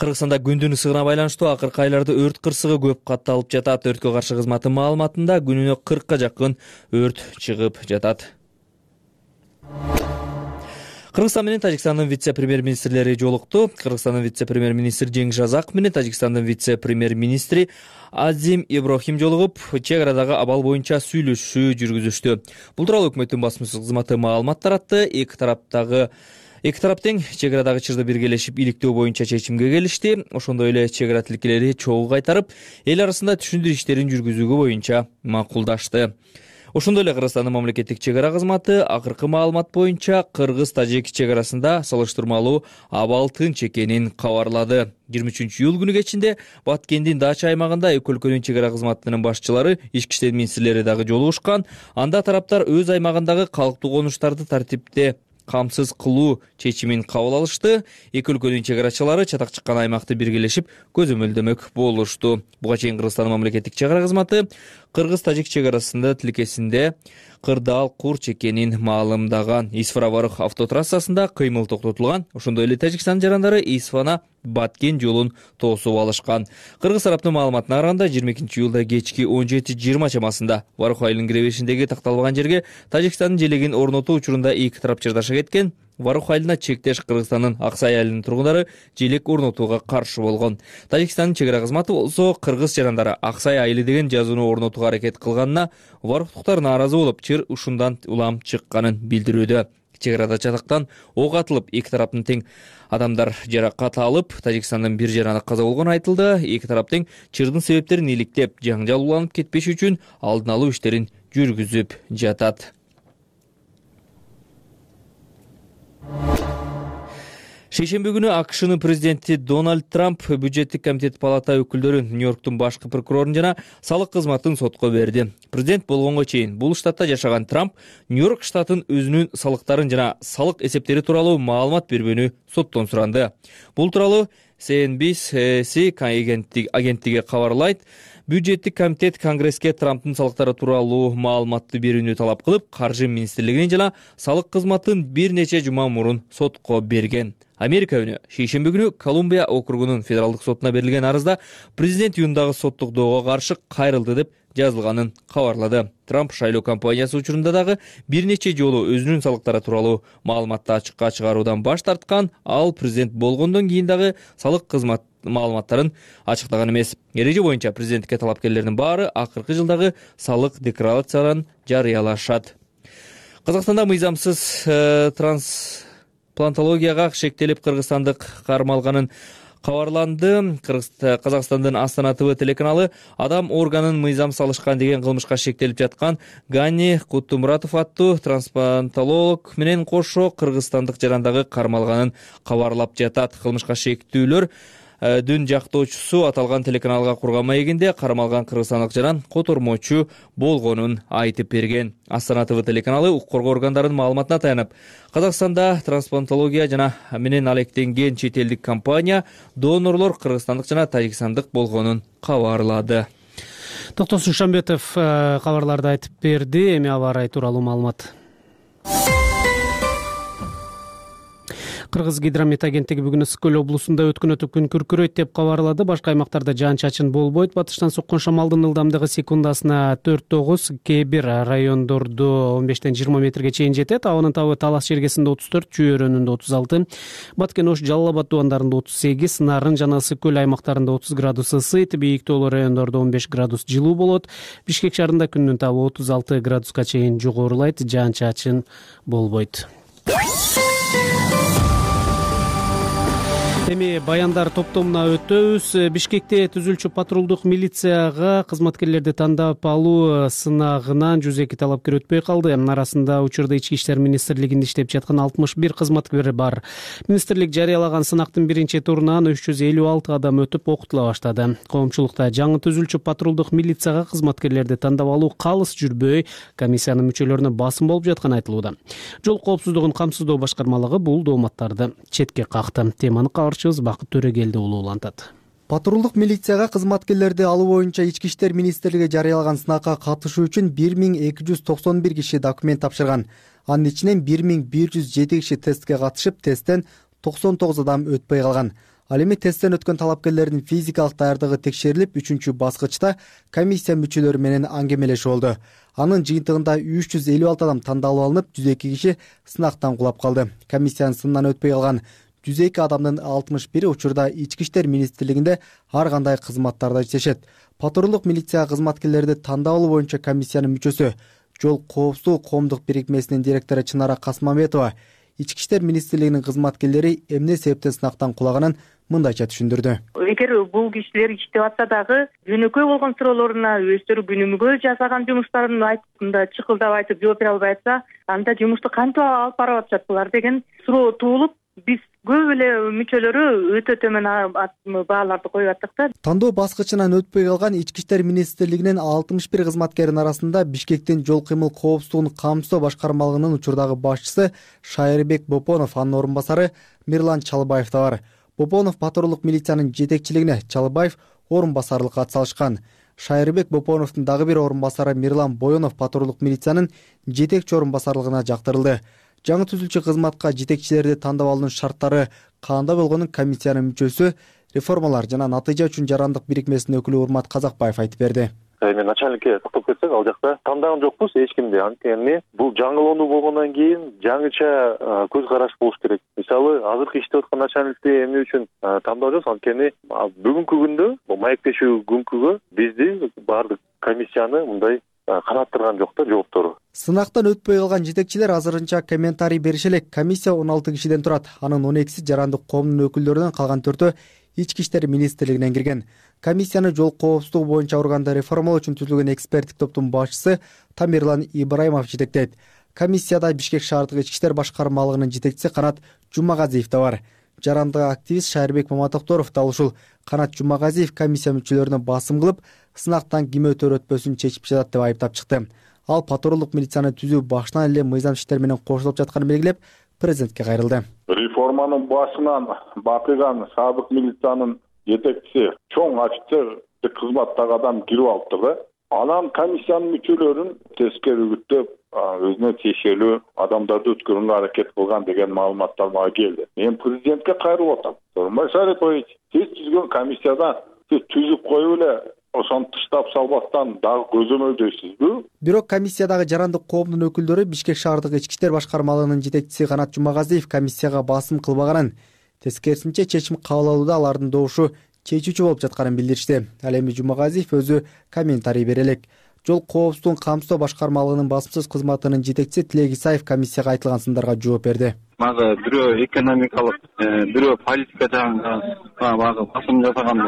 Кыргызстанда күндүн ысыгына байланыштуу акыркы айларда өрт кырсыгы көп катталып жатат. Өрткө каршы кызматтын маалыматында күнүнө кыркка жакын өрт чыгып жатат. Кыргызстан менен Тажикстандын вице-премьер-министрлери жолукту. Кыргызстандын вице-премьер-министри Жеңиш Разаков менен Тажикстандын вице-премьер-министри Азим Ибрахим жолугуп, чек арадагы абал боюнча сүйлөшүү жүргүзүштү. Бул тууралуу өкмөттүн басмасөз кызматы маалымат таратты. Эки тараптагы Эки тарап тең чек арадагы чырды биргелешип иликтөө боюнча чечимге келишти. Ошондой эле чек ара тилкелери чогуу кайтарып, эл арасында түшүндүрүү иштерин жүргүзүүгө боюнча макулдашты. Ошондой эле Кыргызстандын мамлекеттик чек ара кызматы акыркы маалымат боюнча кыргыз-тажик чек арасында салыштырмалуу абал тынч экенин кабарлады. жыйырма үчүнчү июль күнү кечинде Баткендин Дача аймагында эки өлкөнүн чек ара кызматынын башчылары, ички иштер министрлери дагы жолугушкан. Анда тараптар өз аймагындагы калктуу конуштарды тартипте камсыз кылуу чечимин кабыл алышты. Эки өлкөнүн чек арачылары чатак чыккан аймакты биргелешип көзөмөлдөмөк болушту. Буга чейин Кыргызстандын мамлекеттик чек ара кызматы кыргыз-тажик чек арасында тилкесинде кырдаал курч экенин маалымдаган. Исфара-Варык автотрассасында кыймыл токтотулган. Ошондой эле Тажикстан жарандары Исфана Баткен жолун тоосуп алышкан. Кыргыз тараптын маалыматына караганда жыйырма экинчи июлда кечки он жети жыйырма чамасында Варык айылынын киребешиндеги такталбаган жерге Тажикстандын желегин орнотуу учурунда эки тарап чырдаша кеткен. Варух айылына чектеш Кыргызстандын Аксай айылынын тургундары желек орнотууга каршы болгон. Тажикстандын чек ара кызматы болсо кыргыз жарандары Аксай айылы деген жазууну орнотууга аракет кылганына варухтуктар нааразы болуп, чыр ушундан улам чыкканын билдирүүдө. Чек арада чатактан ок атылып, эки тараптын тең адамдар жаракат алып, Тажикстандын бир жараны каза болгону айтылды. Эки тарап тең чырдын себептерин иликтеп, жаңжал уланып кетпеш үчүн алдын алуу иштерин жүргүзүп жатат. Шейшемби күнү АКШнын президенти Дональд Трамп бюджеттик комитет палата өкүлдөрүн, Нью-Йорктун башкы прокурорун жана салык кызматын сотко берди. Президент болгонго чейин бул штатта жашаган Трамп Нью-Йорк штатын өзүнүн салыктарын жана салык эсептери тууралуу маалымат бербөөнү соттон суранды. Бул тууралуу си эн би си агенттиги кабарлайт. Бюджеттик комитет Конгресске Трамптын салыктары тууралуу маалыматты берүүнү талап кылып, Каржы министрлигинин жана салык кызматын бир нече жума мурун сотко берген. Америка үнү шейшемби күнү Колумбия округунун федералдык сотуна берилген арызда президент июндагы соттук доого каршы кайрылды деп жазылганын кабарлады. Трамп шайлоо кампаниясы учурунда дагы бир нече жолу өзүнүн салыктары тууралуу маалыматты ачыкка чыгаруудан баш тарткан, ал президент болгондон кийин дагы салык кызмат маалыматтарын ачыктаган эмес. Эреже боюнча президенттикке талапкерлердин баары акыркы жылдагы салык декларацияларын жарыялашат. Казакстанда мыйзамсыз э, трансплантологияга шектелип кыргызстандык кармалганын кабарланды. Казакстандын Астана ТВ телеканалы адам органын мыйзам салышкан деген кылмышка шектелип жаткан Гани Кутумуратов аттуу трансплантолог менен кошо кыргызстандык жарандагы кармалганын кабарлап жатат. Кылмышка шектүүлөр дүн жактоочусу аталган телеканалга курган маегинде кармалган кыргызстандык жаран котормочу болгонун айтып берген. Астана ТВ телеканалы укук коргоо органдарынын маалыматына таянып, Казакстанда трансплантология жана менен алектенген чет элдик компания донорлор кыргызстандык жана тажикстандык болгонун кабарлады. Токтосун Шамбетов кабарларды айтып берди. Эми аба ырайы тууралуу маалымат. Кыргыз гидромет агенттиги бүгүн Ысык көл облусунда өткөн өтүп күн күркүрөйт деп кабарлады. Башка аймактарда жаан-чачын болбойт. Батыштан соккон шамалдын ылдамдыгы секундасына төрт тогуз, кээ бир райондордо он бештен жыйырма метрге чейин жетет. Абанын табы Талас Жергесинде отуз төрт, Чүй өрөөнүндө отуз алты, Баткен Ош, Жалал Абад дубандарында отуз сегиз, Нарын жана Ысык көл аймактарында отуз градус ысыйт. Бийиктүүлүү райондордо он беш градус жылуу болот. Бишкек шаарында күндүн табы отуз алты градуска чейин жогорулайт. Жаан-чачын болбойт. Эми баяндар топтомуна өтөбүз. Бишкекте түзүлчү патрулдук милицияга кызматкерлерди тандап алуу сынагынан жүз эки талапкер өтпөй калды. Арасында учурда Ички иштер министрлигинде иштеп жаткан алтымыш бир кызматкер бар. Министрлик жарыялаган сынактын биринчи турунан үч жүз элүү алты адам өтүп окутула баштады. Коомчулукта жаңы түзүлчү патрулдук милицияга кызматкерлерди тандап алуу калыс жүрбөй, комиссиянын мүчөлөрүнө басым болуп жатканы айтылууда. Жол коопсуздугун камсыздоо башкармалыгы бул дооматтарды четке какты. Теманы Бакыт Төрөгелди улуулантат. Патрулдук милицияга кызматкерлерди алуу боюнча Ички иштер министрлиги жарыялаган сынакка катышуу үчүн бир миң эки жүз токсон бир киши документ тапшырган. Анын ичинен бир миң бир жүз жети киши тестке катышып, тесттен токсон тогуз адам өтпөй калган. Ал эми тесттен өткөн талапкерлердин физикалык даярдыгы текшерилип, үчүнчү баскычта комиссия мүчөлөрү менен аңгемелешүү болду. Анын жыйынтыгында үч жүз элүү алты адам тандалып алынып, жүз эки киши сынактан кулап калды. Комиссиянын сынынан өтпөй калган жүз эки адамдын алтымыш бири учурда Ички иштер министрлигинде ар кандай кызматтарда иштешет. Патрулдук милиция кызматкерлерди тандап алуу боюнча комиссиянын мүчөсү, Жол коопсуздугу коомдук бирикмесинин директору Чынара Касмамбетова Ички иштер министрлигинин кызматкерлери эмне себептен сынактан кулаганын мындайча түшүндүрдү. Эгер бул кишилер иштеп атса дагы жөнөкөй болгон суроолоруна өздөрү күнүмгө жасаган жумуштарын айтып, мындай чыкылдап айтып жооп бере албай атса, анда жумушту кантип алып барып атышат булар деген суроо туулуп, биз көп эле мүчөлөрү өтө төмөн бааларды коюп аттык да. Тандоо баскычынан өтпөй калган Ички иштер министрлигинин алтымыш бир кызматкеринин арасында Бишкектин жол кыймыл коопсуздугун камсыздоо башкармалыгынын учурдагы башчысы Шайырбек Бопонов, анын орун басары Мирлан Чалбаев да бар. Бопонов патрулдук милициянын жетекчилигине, Чалбаев орун басарлыкка атсалышкан. Шайырбек Бопоновдун дагы бир орун басары Мирлан Боёнов патрулдук милициянын жетекчи орун басарлыгына жактырылды. Жаңы түзүлчү кызматка жетекчилерди тандап алуунун шарттары кандай болгонун комиссиянын мүчөсү, реформалар жана натыйжа үчүн жарандык бирикмесинин өкүлү Урмат Казакбаев айтып берди. эми начальникке токтоп кетсек, ал жакта тандаган жокпуз эч кимди. Анткени бул жаңылоону болгондон кийин жаңыча көз караш болуш керек. Мисалы, азыркы иштеп аткан начальникти эмне үчүн тандап жатабыз? Анткени бүгүнкү күндө, бул маектешүү күнкүгө бизди баардык комиссияны мындай канаттырган жок да жооптору. Сынактан өтпөй калган жетекчилер азырынча комментарий берише элек. Комиссия он алты кишиден турат. Анын он экиси жарандык коомдун өкүлдөрүнөн, калган төртөө Ички иштер министрлигинен кирген. Комиссияны жол коопсуздугу боюнча органды реформалоо үчүн түзүлгөн эксперттик топтун башчысы Тамерлан Ибраимов жетектейт. Комиссияда Бишкек шаардык ички иштер башкармалыгынын жетекчиси Канат Жумагазиев да бар. Жарандык активист Шайырбек Маматокторов да ушул. Канат Жумагазиев комиссия мүчөлөрүнө басым кылып, сынактан ким өтөр өтпөсүн чечип жатат деп айыптап чыкты. Ал патрулдук милицияны түзүү башынан эле мыйзам иштер менен кошулуп жатканын белгилеп, президентке кайрылды. Реформанын башынан бакыган сабык милициянын жетекчиси чоң офицердик кызматтагы адам кирип алыпты да. Анан комиссиянын мүчөлөрүн тескери үгүттөп, өзүнө тиешелүү адамдарды өткөрүүгө аракет кылган деген маалыматтар мага келди. Мен президентке кайрылып атам. Сооронбай Шарипович, сиз түзгөн комиссияда сиз түзүп коюп эле ошону тыштап салбастан дагы көзөмөлдөйсүзбү? Бирок комиссиядагы жарандык коомдун өкүлдөрү Бишкек шаардык ички иштер башкармалыгынын жетекчиси Канат Жумагазиев комиссияга басым кылбаганын, тескерисинче чечим кабыл алууда алардын добушу чечүүчү болуп жатканын билдиришти. Ал эми Жумагазиев өзү комментарий бере элек. Жол коопсуздугун камсыздоо башкармалыгынын басымсыз кызматынын жетекчиси Тилек Исаев комиссияга айтылган сындарга жооп берди. Мага бирөө экономикалык, бирөө политика жагында багы басым жасаган,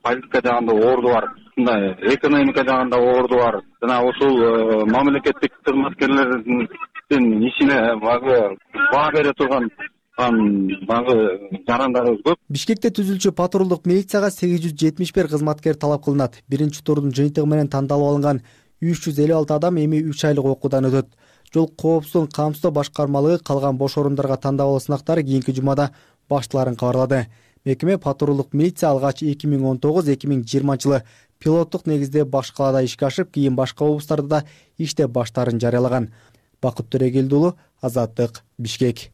политика жагында орду бар. Мындай экономика жагында орду бар. Жана ушул мамлекеттик кызматкерлердин ишине багы баа бере турган багы жарандарыбыз көп. Бишкекте түзүлчү патрулдук милицияга сегиз жүз жетимиш бир кызматкер талап кылынат. Биринчи турдун жыйынтыгы менен тандалып алынган үч жүз элүү алты адам эми үч айлык окуудан өтөт. Жол коопсуздугун камсыздоо башкармалыгы калган бош орундарга тандап алуу сынактары кийинки жумада башталарын кабарлады. Мекеме патрулдук милиция алгач эки миң он тогуз эки миң жыйырманчы жылы пилоттук негизде баш калаада ишке ашып, кийин башка облустарда да иштеп баштаарын жарыялаган. Бакыт Төрөгелди уулу, Азаттык, Бишкек.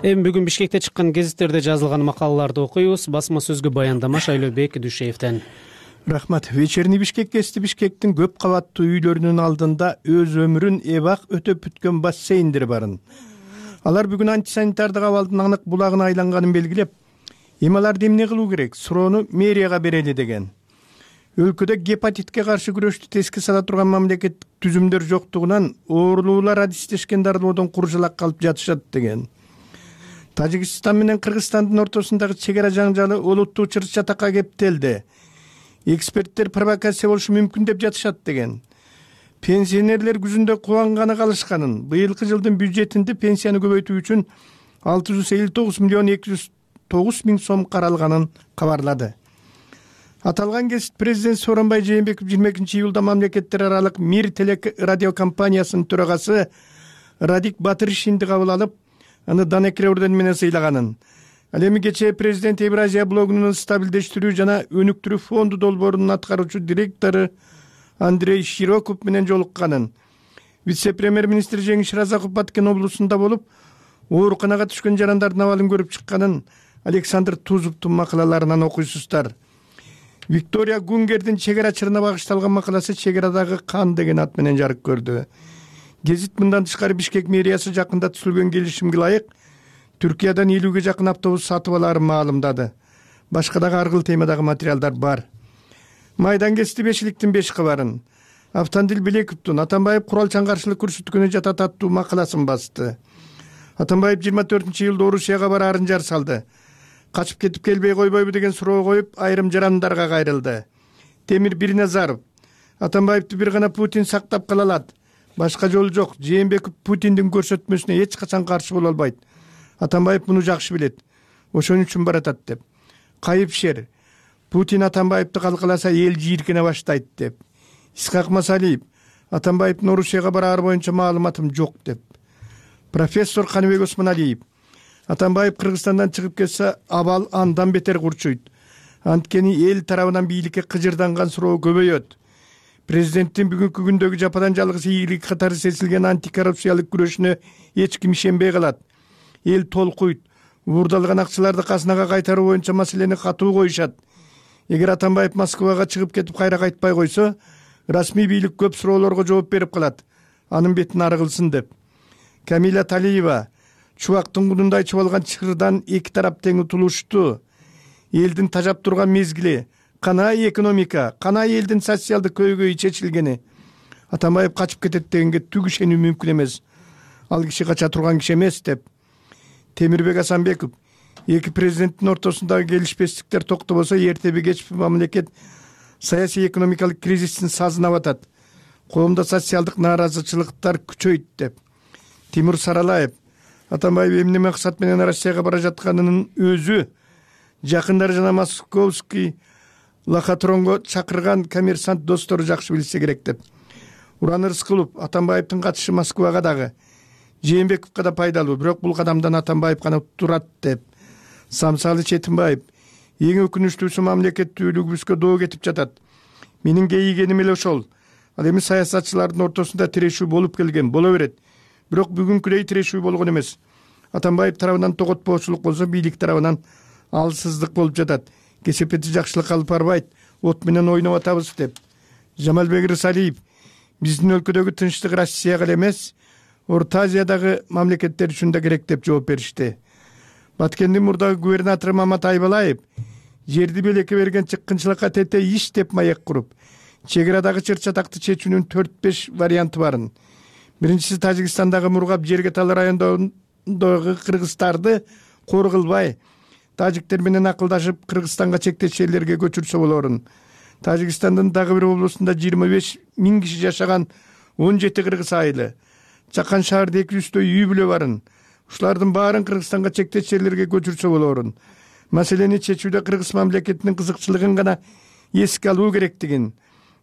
Эми бүгүн Бишкекте чыккан гезиттерде жазылган макалаларды окуйбуз. Басма сөзгө баяндама Шайлообек Дүйшеевден. Рахмат. Вечерний Бишкек кести Бишкектин көп кабаттуу үйлөрүнүн алдында өз өмүрүн эбак өтөп бүткөн бассейндер барын. Алар бүгүн антисанитардык абалдын анык булагына айланганын белгилеп, эми аларды эмне кылуу керек? Суроону мэрияга берели деген. Өлкөдө гепатитке каршы күрөштү теске сала турган мамлекеттик түзүмдөр жоктугунан оорулуулар адистешкен дарылоодон куржалак калып жатышат деген. Тажикстан менен Кыргызстандын ортосундагы чек ара жаңжалы олуттуу чыр-чатакка кептелди. Эксперттер провокация болушу мүмкүн деп жатышат деген. Пенсионерлер күзүндө кубанганы калышканын, быйылкы жылдын бюджетинде пенсияны көбөйтүү үчүн алты жүз элүү тогуз миллион эки жүз тогуз миң сом каралганын кабарлады. Аталган кесип президент Сооронбай Жээнбеков жыйырма экинчи июлда мамлекеттер аралык Мир телекрадиокомпаниясынын төрагасы Радик Батыршинди кабыл алып, аны Данекре ордени менен сыйлаганын. Ал эми кечээ президент Евразия блогунун стабилдештирүү жана өнүктүрүү фонду долбоорунун аткаруучу директору Андрей Широков менен жолукканын. Вице-премьер-министр Жеңиш Разаков Баткен облусунда болуп, ооруканага түшкөн жарандардын абалын көрүп чыкканын Александр Тузовдун макалаларынан окуйсуздар. Виктория Гунгердин чек ара чырына багышталган макаласы чек арадагы кан деген ат менен жарык көрдү. Гезит мындан тышкары Бишкек мэриясы жакында түзүлгөн келишимге ылайык Түркиядан элүүгө жакын автобус сатып алаарын маалымдады. Башка дагы ар кыл темадагы материалдар бар. Майдан кести бешиликтин беш кабарын. Автандил Белековдун Атамбаев куралчан каршылык көрсөткөнү жатат аттуу макаласын басты. Атамбаев жыйырма төртүнчү июлда Орусияга бараарын жар салды. Качып кетип келбей койбойбу деген суроо коюп, айрым жарандарга кайрылды. Темир Бирназаров Атамбаевди бир гана Путин сактап кала алат. Башка жол жок. Жээнбеков Путиндин көрсөтмөсүнө эч качан каршы боло албайт. Атамбаев муну жакшы билет. Ошон үчүн баратат деп. Кайыпшер Путин Атамбаевди калкаласа эл жийиркене баштайт деп. Исхак Масалиев Атамбаевдин Орусияга бараары боюнча маалыматым жок деп. Профессор Каныбек Осмоналиев Атамбаев Кыргызстандан чыгып кетсе абал андан бетер курчуйт. Анткени эл тарабынан бийликке кыжырданган суроо көбөйөт. президенттин бүгүнкү күндөгү жападан жалгыз ийгилик катары сезилген антикоррупциялык күрөшүнө эч ким ишенбей калат. Эл толкуйт. Уурдалган акчаларды казынага кайтаруу боюнча маселени катуу коюшат. Эгер Атамбаев Москвага чыгып кетип кайра кайтпай койсо, расмий бийлик көп суроолорго жооп берип калат. Анын бетин ары кылсын деп. Камила Талиева: чубактын кудундай чубалган чырдан эки тарап тең утулушту. Элдин тажап турган мезгили, канай экономика, канай элдин социалдык көйгөйү чечилгени. Атамбаев качып кетет дегенге түк ишенүү мүмкүн эмес. Ал киши кача турган киши эмес деп. Темирбек Асанбеков: эки президенттин ортосундагы келишпестиктер токтобосо, эртеби кечпи мамлекет саясий экономикалык кризистин сазына батат. Коомдо социалдык нааразычылыктар күчөйт деп. Тимур Саралаев: Атамбаев эмне максат менен Россияга бара жатканынын өзү жакындары жана московский лохотронго чакырган коммерсант достору жакшы билсе керек деп. Уран Рыскулов: Атамбаевдин катышы Москвага дагы, Жээнбековго да пайдалуу, бирок бул кадамдан Атамбаев гана турат деп. Самсалы Четимбаев: эң өкүнүчтүүсү мамлекеттүүлүгүбүзгө доо кетип жатат. Менин кейигеним эле ошол. Ал эми саясатчылардын ортосунда тирешүү болуп келген, боло берет. Бирок бүгүнкүдөй тирешүү болгон эмес. Атамбаев тарабынан тоготпоочулук болсо, бийлик тарабынан алсыздык болуп жатат. Кесепети жакшылык алып барбайт, от менен ойноп атабыз деп. Жамалбек Рысалиев: биздин өлкөдөгү тынчтык Россияга эле эмес, Орто Азиядагы мамлекеттер үчүн да керек деп жооп беришти. Баткендин мурдагы губернатору Мамат Айбалаев: жерди белекке берген чыккынчылыкка тете иш деп маек куруп, чек арадагы чыр чатакты чечүүнүн төрт беш варианты барын. Биринчиси, Тажикстандагы Мургап Жергетал районундагы кыргыздарды кор кылбай, тажиктер менен акылдашып Кыргызстанга чектеш жерлерге көчүрсө болорун. Тажикстандын дагы бир облусунда жыйырма беш миң киши жашаган он жети кыргыз айылы, Чакан шаарда эки жүздөй үй бүлө барын. Ушулардын баарын Кыргызстанга чектеш жерлерге көчүрсө болорун. Маселени чечүүдө Кыргыз мамлекетинин кызыкчылыгын гана эске алуу керектигин,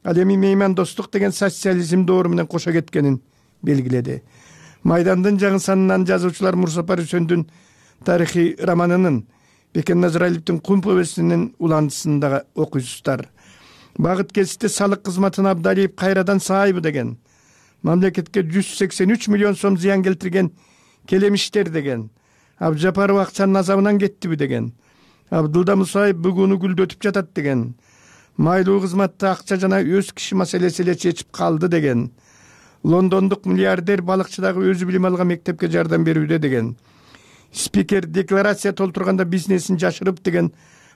ал эми меймандостук деген социализм доору менен кошо кеткенин белгиледи. Майдандын жаңы жазуучулар Мурсапар Үсөндүн тарыхый романынын, Бекен Назаралиевдин Кум повестинин уландысын дагы окуйсуздар. Багыт кесипте салык кызматын Абдалиев кайрадан саайбы деген. Мамлекетке жүз сексен үч миллион сом зыян келтирген келемиштер деген. Абжапаров акчанын азабынан кеттиби деген. Абдылда Мусаев бүгүнү гүлдөтүп жатат деген. Майлуу кызматты акча жана өз киши маселеси эле чечип калды деген. Лондондук миллиардер балыкчы дагы өзү билим алган мектепке жардам берүүдө деген. Спикер декларация толтурганда бизнесин жашырып деген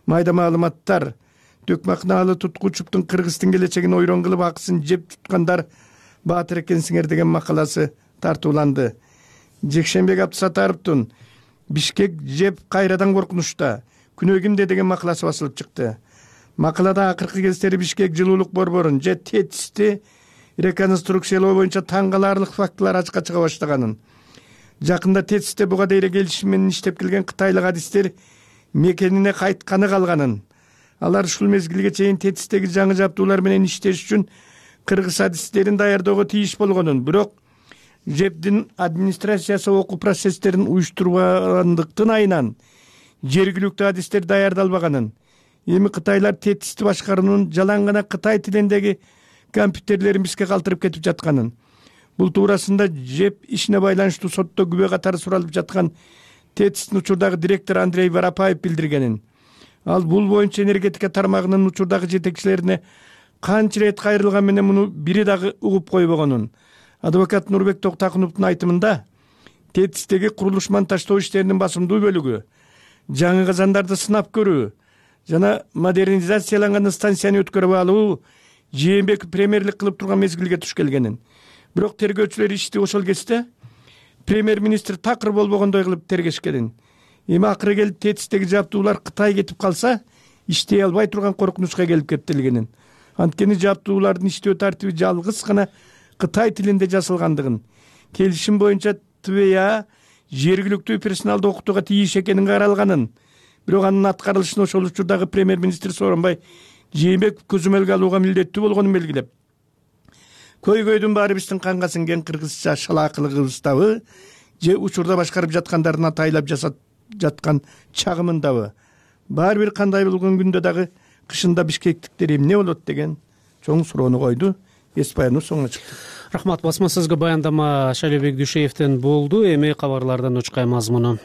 майда маалыматтар. Төкмакнаалы Туткучуптун Кыргыздын келечегин ойрон кылып акысын жеп туткандар баатыр экенсиңер деген макаласы тартууланды. Жекшенбек Абдысатаровдун Бишкек жеп кайрадан коркунучта, күнөө кимде деген макаласы басылып чыкты. Макалада акыркы кездери Бишкек жылуулук борборун же тетисти реконструкциялоо боюнча таң каларлык фактылар ачыкка чыга баштаганын, жакында тетисте буга дейре келишим менен иштеп келген кытайлык адистер мекенине кайтканы калганын, алар ушул мезгилге чейин тетистеги жаңы жабдуулар менен иштеш үчүн кыргыз адистерин даярдөөгө тийиш болгонун, бирок жептин администрациясы окуу процесстерин уюштурбагандыктын айынан жергиликтүү адистер даярдалбаганын, эми кытайлар тетисти башкаруунун жалаң гана кытай тилиндеги компьютерлерин бизге калтырып кетип жатканын, бул туурасында жеп ишине байланыштуу сотто күбө катары суралып жаткан тетистин учурдагы директору Андрей Воропаев билдиргенин. Ал бул боюнча энергетика тармагынын учурдагы жетекчилерине канча ирет кайрылган менен муну бири дагы угуп койбогонун. Адвокат Нурбек Токтакуновдун айтымында, тетистеги курулуш монтаждоо иштеринин басымдуу бөлүгү жаңы казандарды сынап көрүү жана модернизацияланган станцияны өткөрүп алуу Жээнбеков премьерлик кылып турган мезгилге туш келгенин. Бирок тергөөчүлөр ишти ошол кезде премьер-министр такыр болбогондой кылып тергешкенин. Эми акыры келип тетистеги жабдуулар Кытай кетип калса, иштей албай турган коркунучка келип кептелгенин. Анткени жабдуулардын иштөө тартиби жалгыз гана Кытай тилинде жазылгандыгын, келишим боюнча ТВА жергиликтүү персоналды окутууга тийиш экенин каралганын, бирок анын аткарылышын ошол учурдагы премьер-министр Сооронбай Жээнбеков көзөмөлгө алууга милдеттүү болгонун белгилеп, көйгөйдүн баары биздин канга сиңген кыргызча шалаакылыгыбыздабы же учурда башкарып жаткандардын атайлап жасап жаткан чагымындабы, баары бир кандай болгон күндө дагы кышында бишкектиктер эмне болот деген чоң суроону койду. эс баяныбыз соңуна чыкты. Рахмат. Басма сөзгө баяндама Шайлообек Дүйшеевден болду. Эми кабарлардан учкай мазмуну.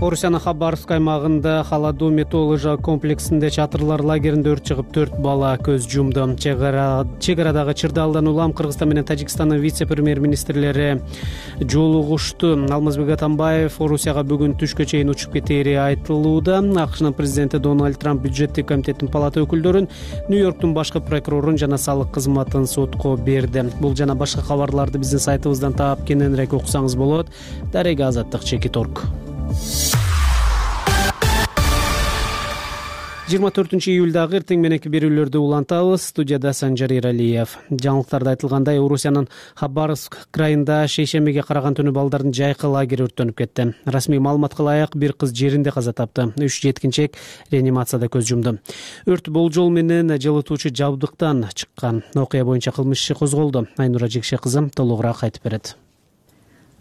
Орусиянын Хабаровск аймагында Холодоми тоо лыжа комплексинде чатырлар лагеринде өрт чыгып төрт бала көз жумду. Чек арадагы Чырдалдан улам Кыргызстан менен Тажикстандын вице-премьер-министрлери жолугушту. Алмазбек Атамбаев Орусияга бүгүн түшкө чейин учуп кетери айтылууда. АКШнын президенти Дональд Трамп бюджеттик комитеттин палата өкүлдөрүн, Нью-Йорктун башкы прокурорун жана салык кызматын сотко берди. Бул жана башка кабарларды биздин сайтыбыздан таап кененирээк окусаңыз болот. Дарега Азаттык Чекит орг. жыйырма төртүнчү июлдагы эртең мененки берүүлөрдү улантабыз. Студияда Санжар Иралиев. Жаңылыктарда айтылгандай, Орусиянын Хабаровск крайында шейшембиге караган түнү балдардын жайкы лагери өрттөнүп кетти. Расмий маалыматка ылайык, бир кыз жеринде каза тапты. Үч жеткинчек реанимацияда көз жумду. Өрт болжол менен жылытуучу жабдыктан чыккан. Окуя боюнча кылмыш иши козголду. Айнура Жекше кызы толугураак айтып берет.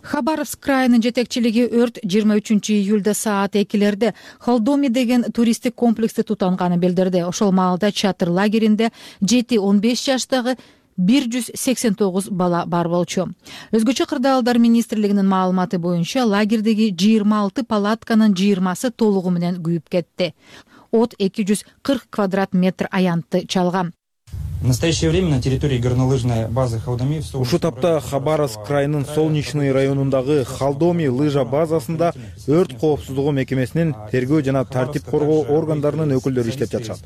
Хабаровск крайынын жетекчилиги өрт жыйырма үчүнчү июлда саат экилерде Холдоми деген туристтик комплексте тутанганын билдирди. Ошол маалда чатыр лагеринде жети он беш жаштагы бир жүз сексен тогуз бала бар болчу. Өзгөчө кырдаалдар министрлигинин маалыматы боюнча лагердеги жыйырма алты палатканын жыйырмасы толугу менен күйүп кетти. От эки жүз кырк квадрат метр аянтты чалган. В настоящее время на территории горнолыжной базы Холдоми ушул тапта Хабаровск крайынын Солнечный районундагы Холдоми лыжа базасында өрт коопсуздугу мекемесинин тергөө жана тартип коргоо органдарынын өкүлдөрү иштеп жатышат.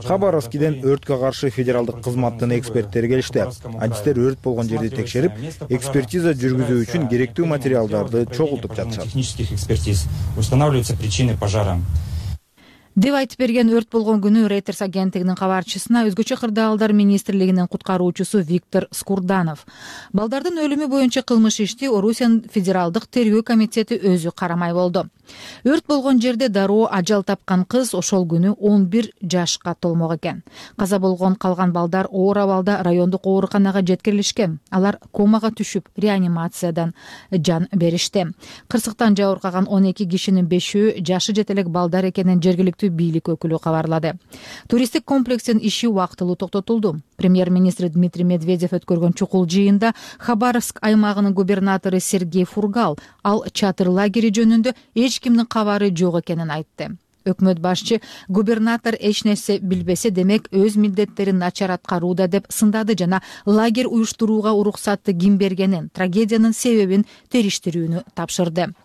Хабаровскиден өрткө каршы федералдык кызматтын эксперттери келишти. Адистер өрт болгон жерди текшерип, экспертиза жүргүзүү үчүн керектүү материалдарды чогултуп жатышат. Технических экспертиз устанавливаются причины пожара. Деп айтып берген өрт болгон күнү Reuters агенттигинин кабарчысына өзгөчө кырдаалдар министрлигинин куткаруучусу Виктор Скурданов. Балдардын өлүмү боюнча кылмыш ишти Орусиянын федералдык тергөө комитети өзү карамай болду. Өрт болгон жерде дароо ажал тапкан кыз ошол күнү он бир жашка толмок экен. Каза болгон калган балдар оор абалда райондук ооруканага жеткирилишкен. Алар комага түшүп, реанимациядан жан беришти. Кырсыктан жабыркаган он эки кишинин бешөө жашы жете элек балдар экенин жергиликтүү бийлик өкүлү кабарлады. Туристтик комплекстин иши убактылуу токтотулду. Премьер-министр Дмитрий Медведев өткөргөн чукул жыйында Хабаровск аймагынын губернатору Сергей Фургал ал чатыр лагери жөнүндө эч кимдин кабары жок экенин айтты. Өкмөт башчы губернатор эч нерсе билбесе, демек өз милдеттерин начар аткарууда деп сындады жана лагерь уюштурууга уруксатты ким бергенин, трагедиянын себебин териштирүүнү тапшырды.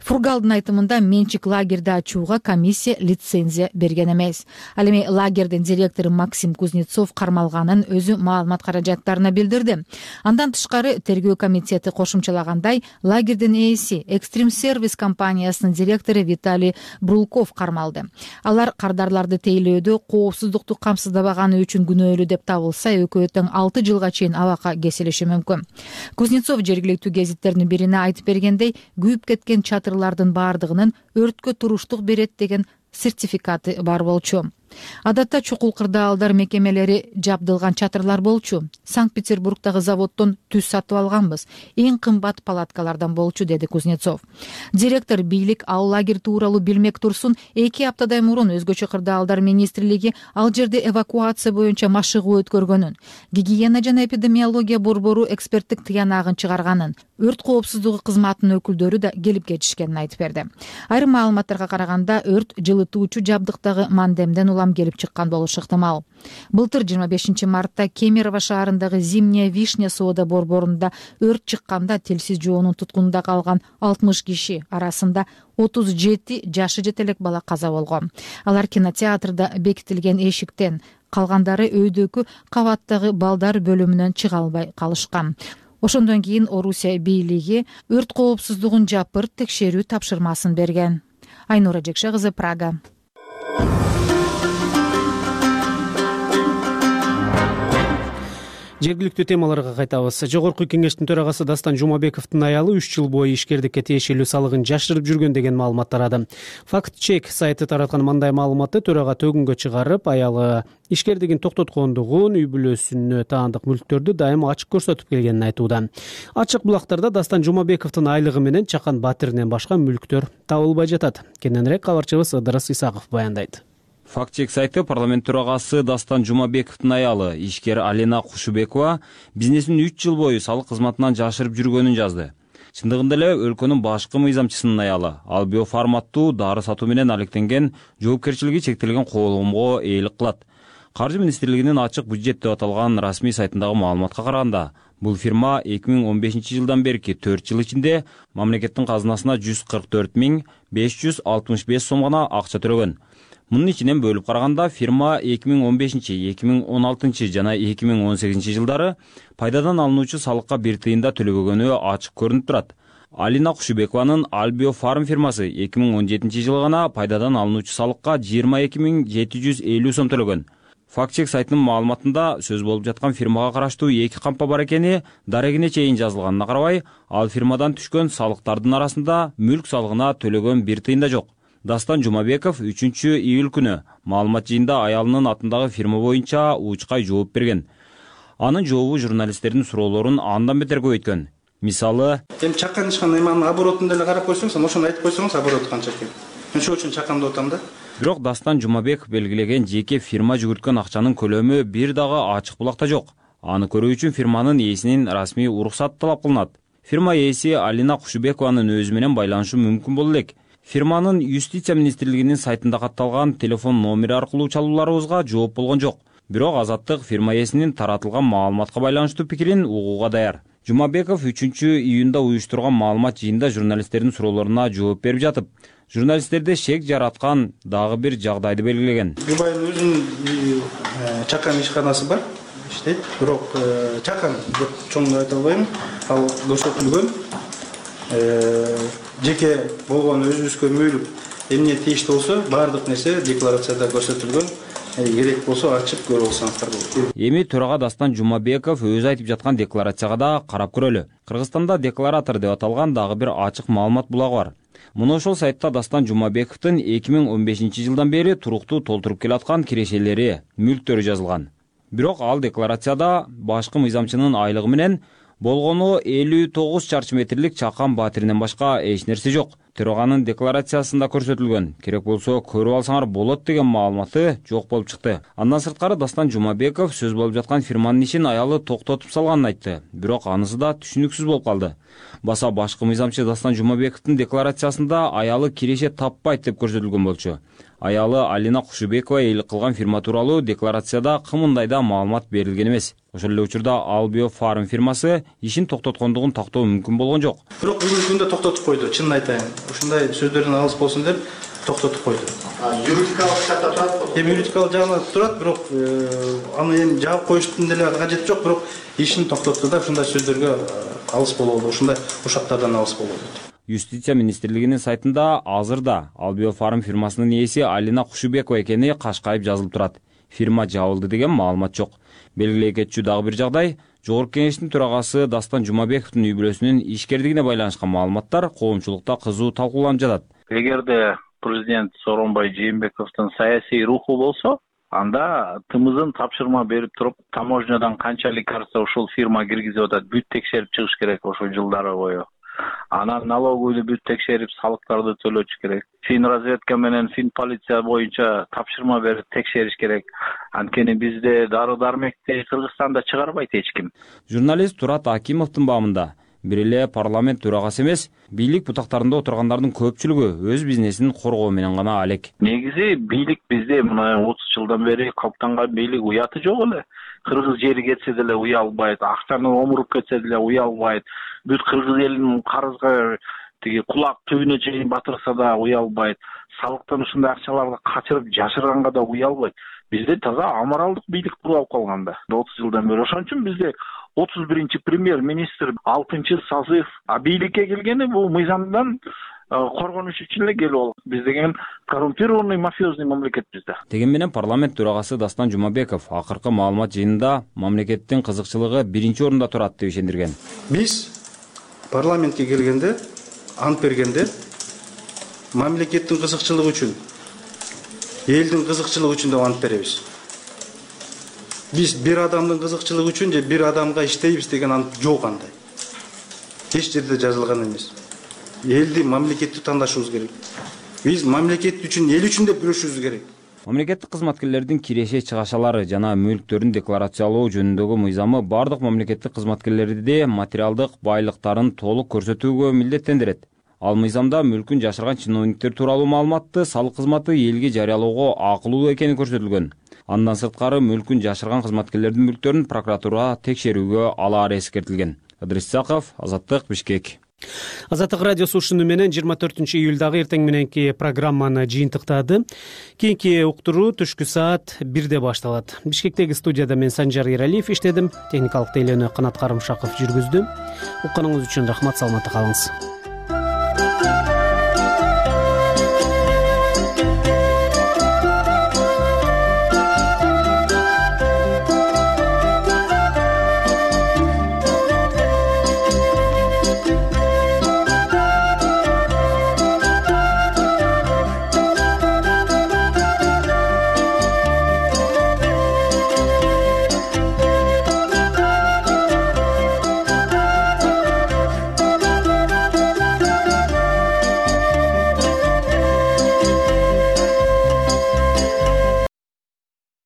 Фургалдын айтымында менчик лагерди ачууга комиссия лицензия берген эмес. Ал эми лагердин директору Максим Кузнецов кармалганын өзү маалымат каражаттарына билдирди. Андан тышкары тергөө комитети кошумчалагандай, лагердин ээси Экстрим сервис компаниясынын директору Виталий Брулков кармалды. Алар кардарларды тейлөөдө коопсуздукту камсыздабаганы үчүн күнөөлүү деп табылса, экөө тең алты жылга чейин абакка кесилиши мүмкүн. Кузнецов жергиликтүү гезиттердин бирине айтып бергендей, күйүп кеткен чатырлардын баардыгынын өрткө туруштук берет деген сертификаты бар болчу. Адатта чукул кырдаалдар мекемелери жабдылган чатырлар болчу. Санкт-Петербургдагы заводдон түз сатып алганбыз. Эң кымбат палаткалардан болчу, деди Кузнецов. Директор бийлик ал лагерь тууралуу билмек турсун, эки аптадай мурун өзгөчө кырдаалдар министрлиги ал жерде эвакуация боюнча машыгуу өткөргөнүн, гигиена жана эпидемиология борбору эксперттик тыянагын чыгарганын, өрт коопсуздугу кызматынын өкүлдөрү да келип кетишкенин айтып берди. Айрым маалыматтарга караганда, өрт жылытуучу жабдыктагы мандемден улам келип чыккан болушу ыктымал. Былтыр жыйырма бешинчи мартта Кемерово шаарындагы Зимняя Вишня соода борборунда өрт чыкканда телсиз жоонун туткунунда калган алтымыш киши арасында отуз жети жашы жете элек бала каза болгон. Алар кинотеатрда бекитилген эшиктен, калгандары өйдөкү кабаттагы балдар бөлүмүнөн чыга албай калышкан. Ошондон кийин Орусия бийлиги өрт коопсуздугун жапыр текшерүү тапшырмасын берген. Айнура Жекше кызы, Прага. Жергиликтүү темаларга кайтабыз. Жогорку кеңештин төрагасы Дастан Жумабековдун аялы үч жыл бою ишкердикке тиешелүү салыгын жашырып жүргөн деген маалымат тарады. Факт-чек сайты тараткан мындай маалыматты төрага төгүнгө чыгарып, аялы ишкердигин токтоткондугун, үй бүлөсүнө таандык мүлктөрдү дайым ачык көрсөтүп келгенин айтууда. Ачык булактарда Дастан Жумабековдун айлыгы менен Чакан Батиринен башка мүлктөр табылбай жатат. Кененирээк кабарчыбыз Ыдырыс Исаков баяндайт. Факт чек сайты парламент төрагасы Дастан Жумабековдун аялы ишкер Алина Кушубекова бизнесин үч жыл бою салык кызматынан жашырып жүргөнүн жазды. Чындыгында эле өлкөнүн башкы мыйзамчысынын аялы ал биоформаттуу дары сатуу менен алектенген жоопкерчилиги чектелген коомго ээлик кылат. Каржы министрлигинин ачык бюджет деп аталган расмий сайтындагы маалыматка караганда, бул фирма эки миң он бешинчи жылдан берки төрт жыл ичинде мамлекеттин казынасына жүз кырк төрт миң беш жүз алтымыш беш сом гана акча төлөгөн. Мунун ичинен бөлүп караганда фирма эки миң он бешинчи, эки миң он алтынчы жана эки миң он сегизинчи жылдары пайдадан алынуучу салыкка бир тыйын да төлөбөгөнү ачык көрүнүп турат. Алина Кушубекованын Альбио Фарм фирмасы эки миң он жетинчи жылы гана пайдадан алынуучу салыкка жыйырма эки миң жети жүз элүү сом төлөгөн. Факт чек сайтынын маалыматында сөз болуп жаткан фирмага караштуу эки кампа бар экени дарегине чейин жазылганына карабай, ал фирмадан түшкөн салыктардын арасында мүлк салыгына төлөгөн бир тыйын да жок. Дастан Жумабеков үчүнчү июль күнү маалымат жыйында аялынын атындагы фирма боюнча учкай жооп берген. Анын жообу журналисттердин суроолорун андан бетер көбөйткөн. Мисалы, эми чаккан ишкандай мана оборотун деле карап койсоңуз, ошону айтып койсоңуз, оборот канча экен. Мен ошол үчүн чаккан деп атам да. Бирок Дастан Жумабеков белгилеген жеке фирма жүгүрткөн акчанын көлөмү бир дагы ачык булакта жок. Аны көрүү үчүн фирманын ээсинин расмий уруксаты талап кылынат. Фирма ээси Алина Кушубекованын өзү менен байланышы мүмкүн боло элек. Фирманын Юстиция министрлигинин сайтында катталган телефон номери аркылуу чалууларыбызга жооп болгон жок. Бирок Азаттык фирма ээсинин таратылган маалыматка байланыштуу пикирин угууга даяр. Жумабеков үчүнчү июнда уюштурган маалымат жыйында журналисттердин суроолоруна жооп берип жатып, журналисттерде шек жараткан дагы бир жагдайды белгилеген. Юбайдын өзүнүн чакан ишканасы бар, иштейт. Бирок чакан деп чоң айта албайм. Ал көрсөтүлгөн. Жеке болгон өзүбүзгө мөйлүк эмне тийиштүү болсо, баардык нерсе декларацияда көрсөтүлгөн. Керек болсо ачып көрүп алсаңыздар болот. Эми төрага Дастан Жумабеков өзү айтып жаткан декларацияга да карап көрөлү. Кыргызстанда декларатор деп аталган дагы бир ачык маалымат булагы бар. Муну ошол сайтта Дастан Жумабековдун эки миң он бешинчи жылдан бери туруктуу толтуруп келаткан кирешелери, мүлктөрү жазылган. Бирок ал декларацияда башкы мыйзамчынын айлыгы менен болгону элүү тогуз чарчы метрлик чакан батиринен башка эч нерсе жок. Төраганын декларациясында көрсөтүлгөн. Керек болсо көрүп алсаңар болот деген маалыматы жок болуп чыкты. Андан сырткары Дастан Жумабеков сөз болуп жаткан фирманын ишин аялы токтотуп салганын айтты. Бирок анысы да түшүнүксүз болуп калды. Баса башкы мыйзамчы Дастан Жумабековдун декларациясында аялы киреше таппайт деп көрсөтүлгөн болчу. Аялы Алина Кушубекова ээлик кылган фирма тууралуу декларацияда кымындай да маалымат берилген эмес. Ошол эле учурда Альбио Фарм фирмасы ишин токтоткондугун тактоо мүмкүн болгон жок. Бирок бүгүнкү күндө токтотуп койду, чынын айтайын. Ушундай сөздөрдөн алыс болсун деп токтотуп койду. Юридикалык жакта турат. Эми юридикалык жагында турат, бирок аны эми жаап коюштун деле кажети жок, бирок ишин токтотту да ушундай сөздөргө алыс болобу, ушундай ушактардан алыс болобу. Юстиция министрлигинин сайтында азырда Альбио Фарм фирмасынын ээси Алина Кушубекова экени кашкайып жазылып турат. Фирма жабылды деген маалымат жок. Белгилей кетчү дагы бир жагдай, Жогорку Кеңештин төрагасы Дастан Жумабековдун үй бүлөсүнүн ишкердигине байланышкан маалыматтар коомчулукта кызуу талкууланып жатат. Эгерде президент Сооронбай Жээнбековдун саясий руху болсо, анда тымызын тапшырма берип туруп, таможнядан канча лекарство ушул фирма киргизип атат, бүт текшерип чыгыш керек ошол жылдары бою. Анан налоговыйды бүт текшерип, салыктарды төлөтүш керек. Фин разведка менен фин полиция боюнча тапшырма берип текшериш керек. Анткени бизде дары-дармекти Кыргызстанда чыгарбайт эч ким. Журналист Турат Акимовдун баамында бир эле парламент төрагасы эмес, бийлик бутактарында отургандардын көпчүлүгү өз бизнесин коргоо менен гана алек. Негизи бийлик бизде мына отуз жылдан бери калыптанган бийлик уяты жок эле. Кыргыз жери кетсе деле уялбайт, акчаны омуруп кетсе деле уялбайт. Бүт кыргыз элинин карызга тиги кулак түбүнө чейин батырса да уялбайт. Салыктан ушундай акчаларды качырып жашырганга да уялбайт. Бизде таза аморалдык бийлик куралып калган да отуз жылдан бери. Ошон үчүн бизде отуз биринчи премьер-министр алтынчы созыв бийликке келгени бул мыйзамдан коргонуш үчүн эле келип ал. Биз деген коррумпированный мафиозный мамлекет бизде. Деген менен парламент төрагасы Дастан Жумабеков акыркы маалымат жыйынында мамлекеттин кызыкчылыгы биринчи орунда турат деп ишендирген. Биз парламентке келгенде, ант бергенде мамлекеттин кызыкчылыгы үчүн, элдин кызыкчылыгы үчүн деп ант беребиз. Биз бир адамдын кызыкчылыгы үчүн же бир адамга иштейбиз деген ант жок андай. Эч жерде жазылган эмес. Элди, мамлекетти тандашыбыз керек. Биз мамлекет үчүн, эл үчүн деп күрөшүбүз керек. мамлекеттик кызматкерлердин киреше чыгашалары жана мүлктөрүн декларациялоо жөнүндөгү мыйзамы бардык мамлекеттик кызматкерлерди материалдык байлыктарын толук көрсөтүүгө милдеттендирет. Ал мыйзамда мүлкүн жашырган чиновниктер тууралуу маалыматты салык кызматы элге жарыялоого акылуу экени көрсөтүлгөн. Андан сырткары мүлкүн жашырган кызматкерлердин мүлктөрүн прокуратура текшерүүгө алаары эскертилген. Ыдрис Исаков, Азаттык, Бишкек. Азаттык радиосу ушуну менен жыйырма төртүнчү июлдагы эртең мененки программаны жыйынтыктады. Кийинки уктуруу түшкү саат бирде башталат. Бишкектеги студияда мен Санжар Эралиев иштедим. Техникалык тейлөөнү Канат Карымшаков жүргүздү. Укканыңыз үчүн рахмат, саламатта калыңыз.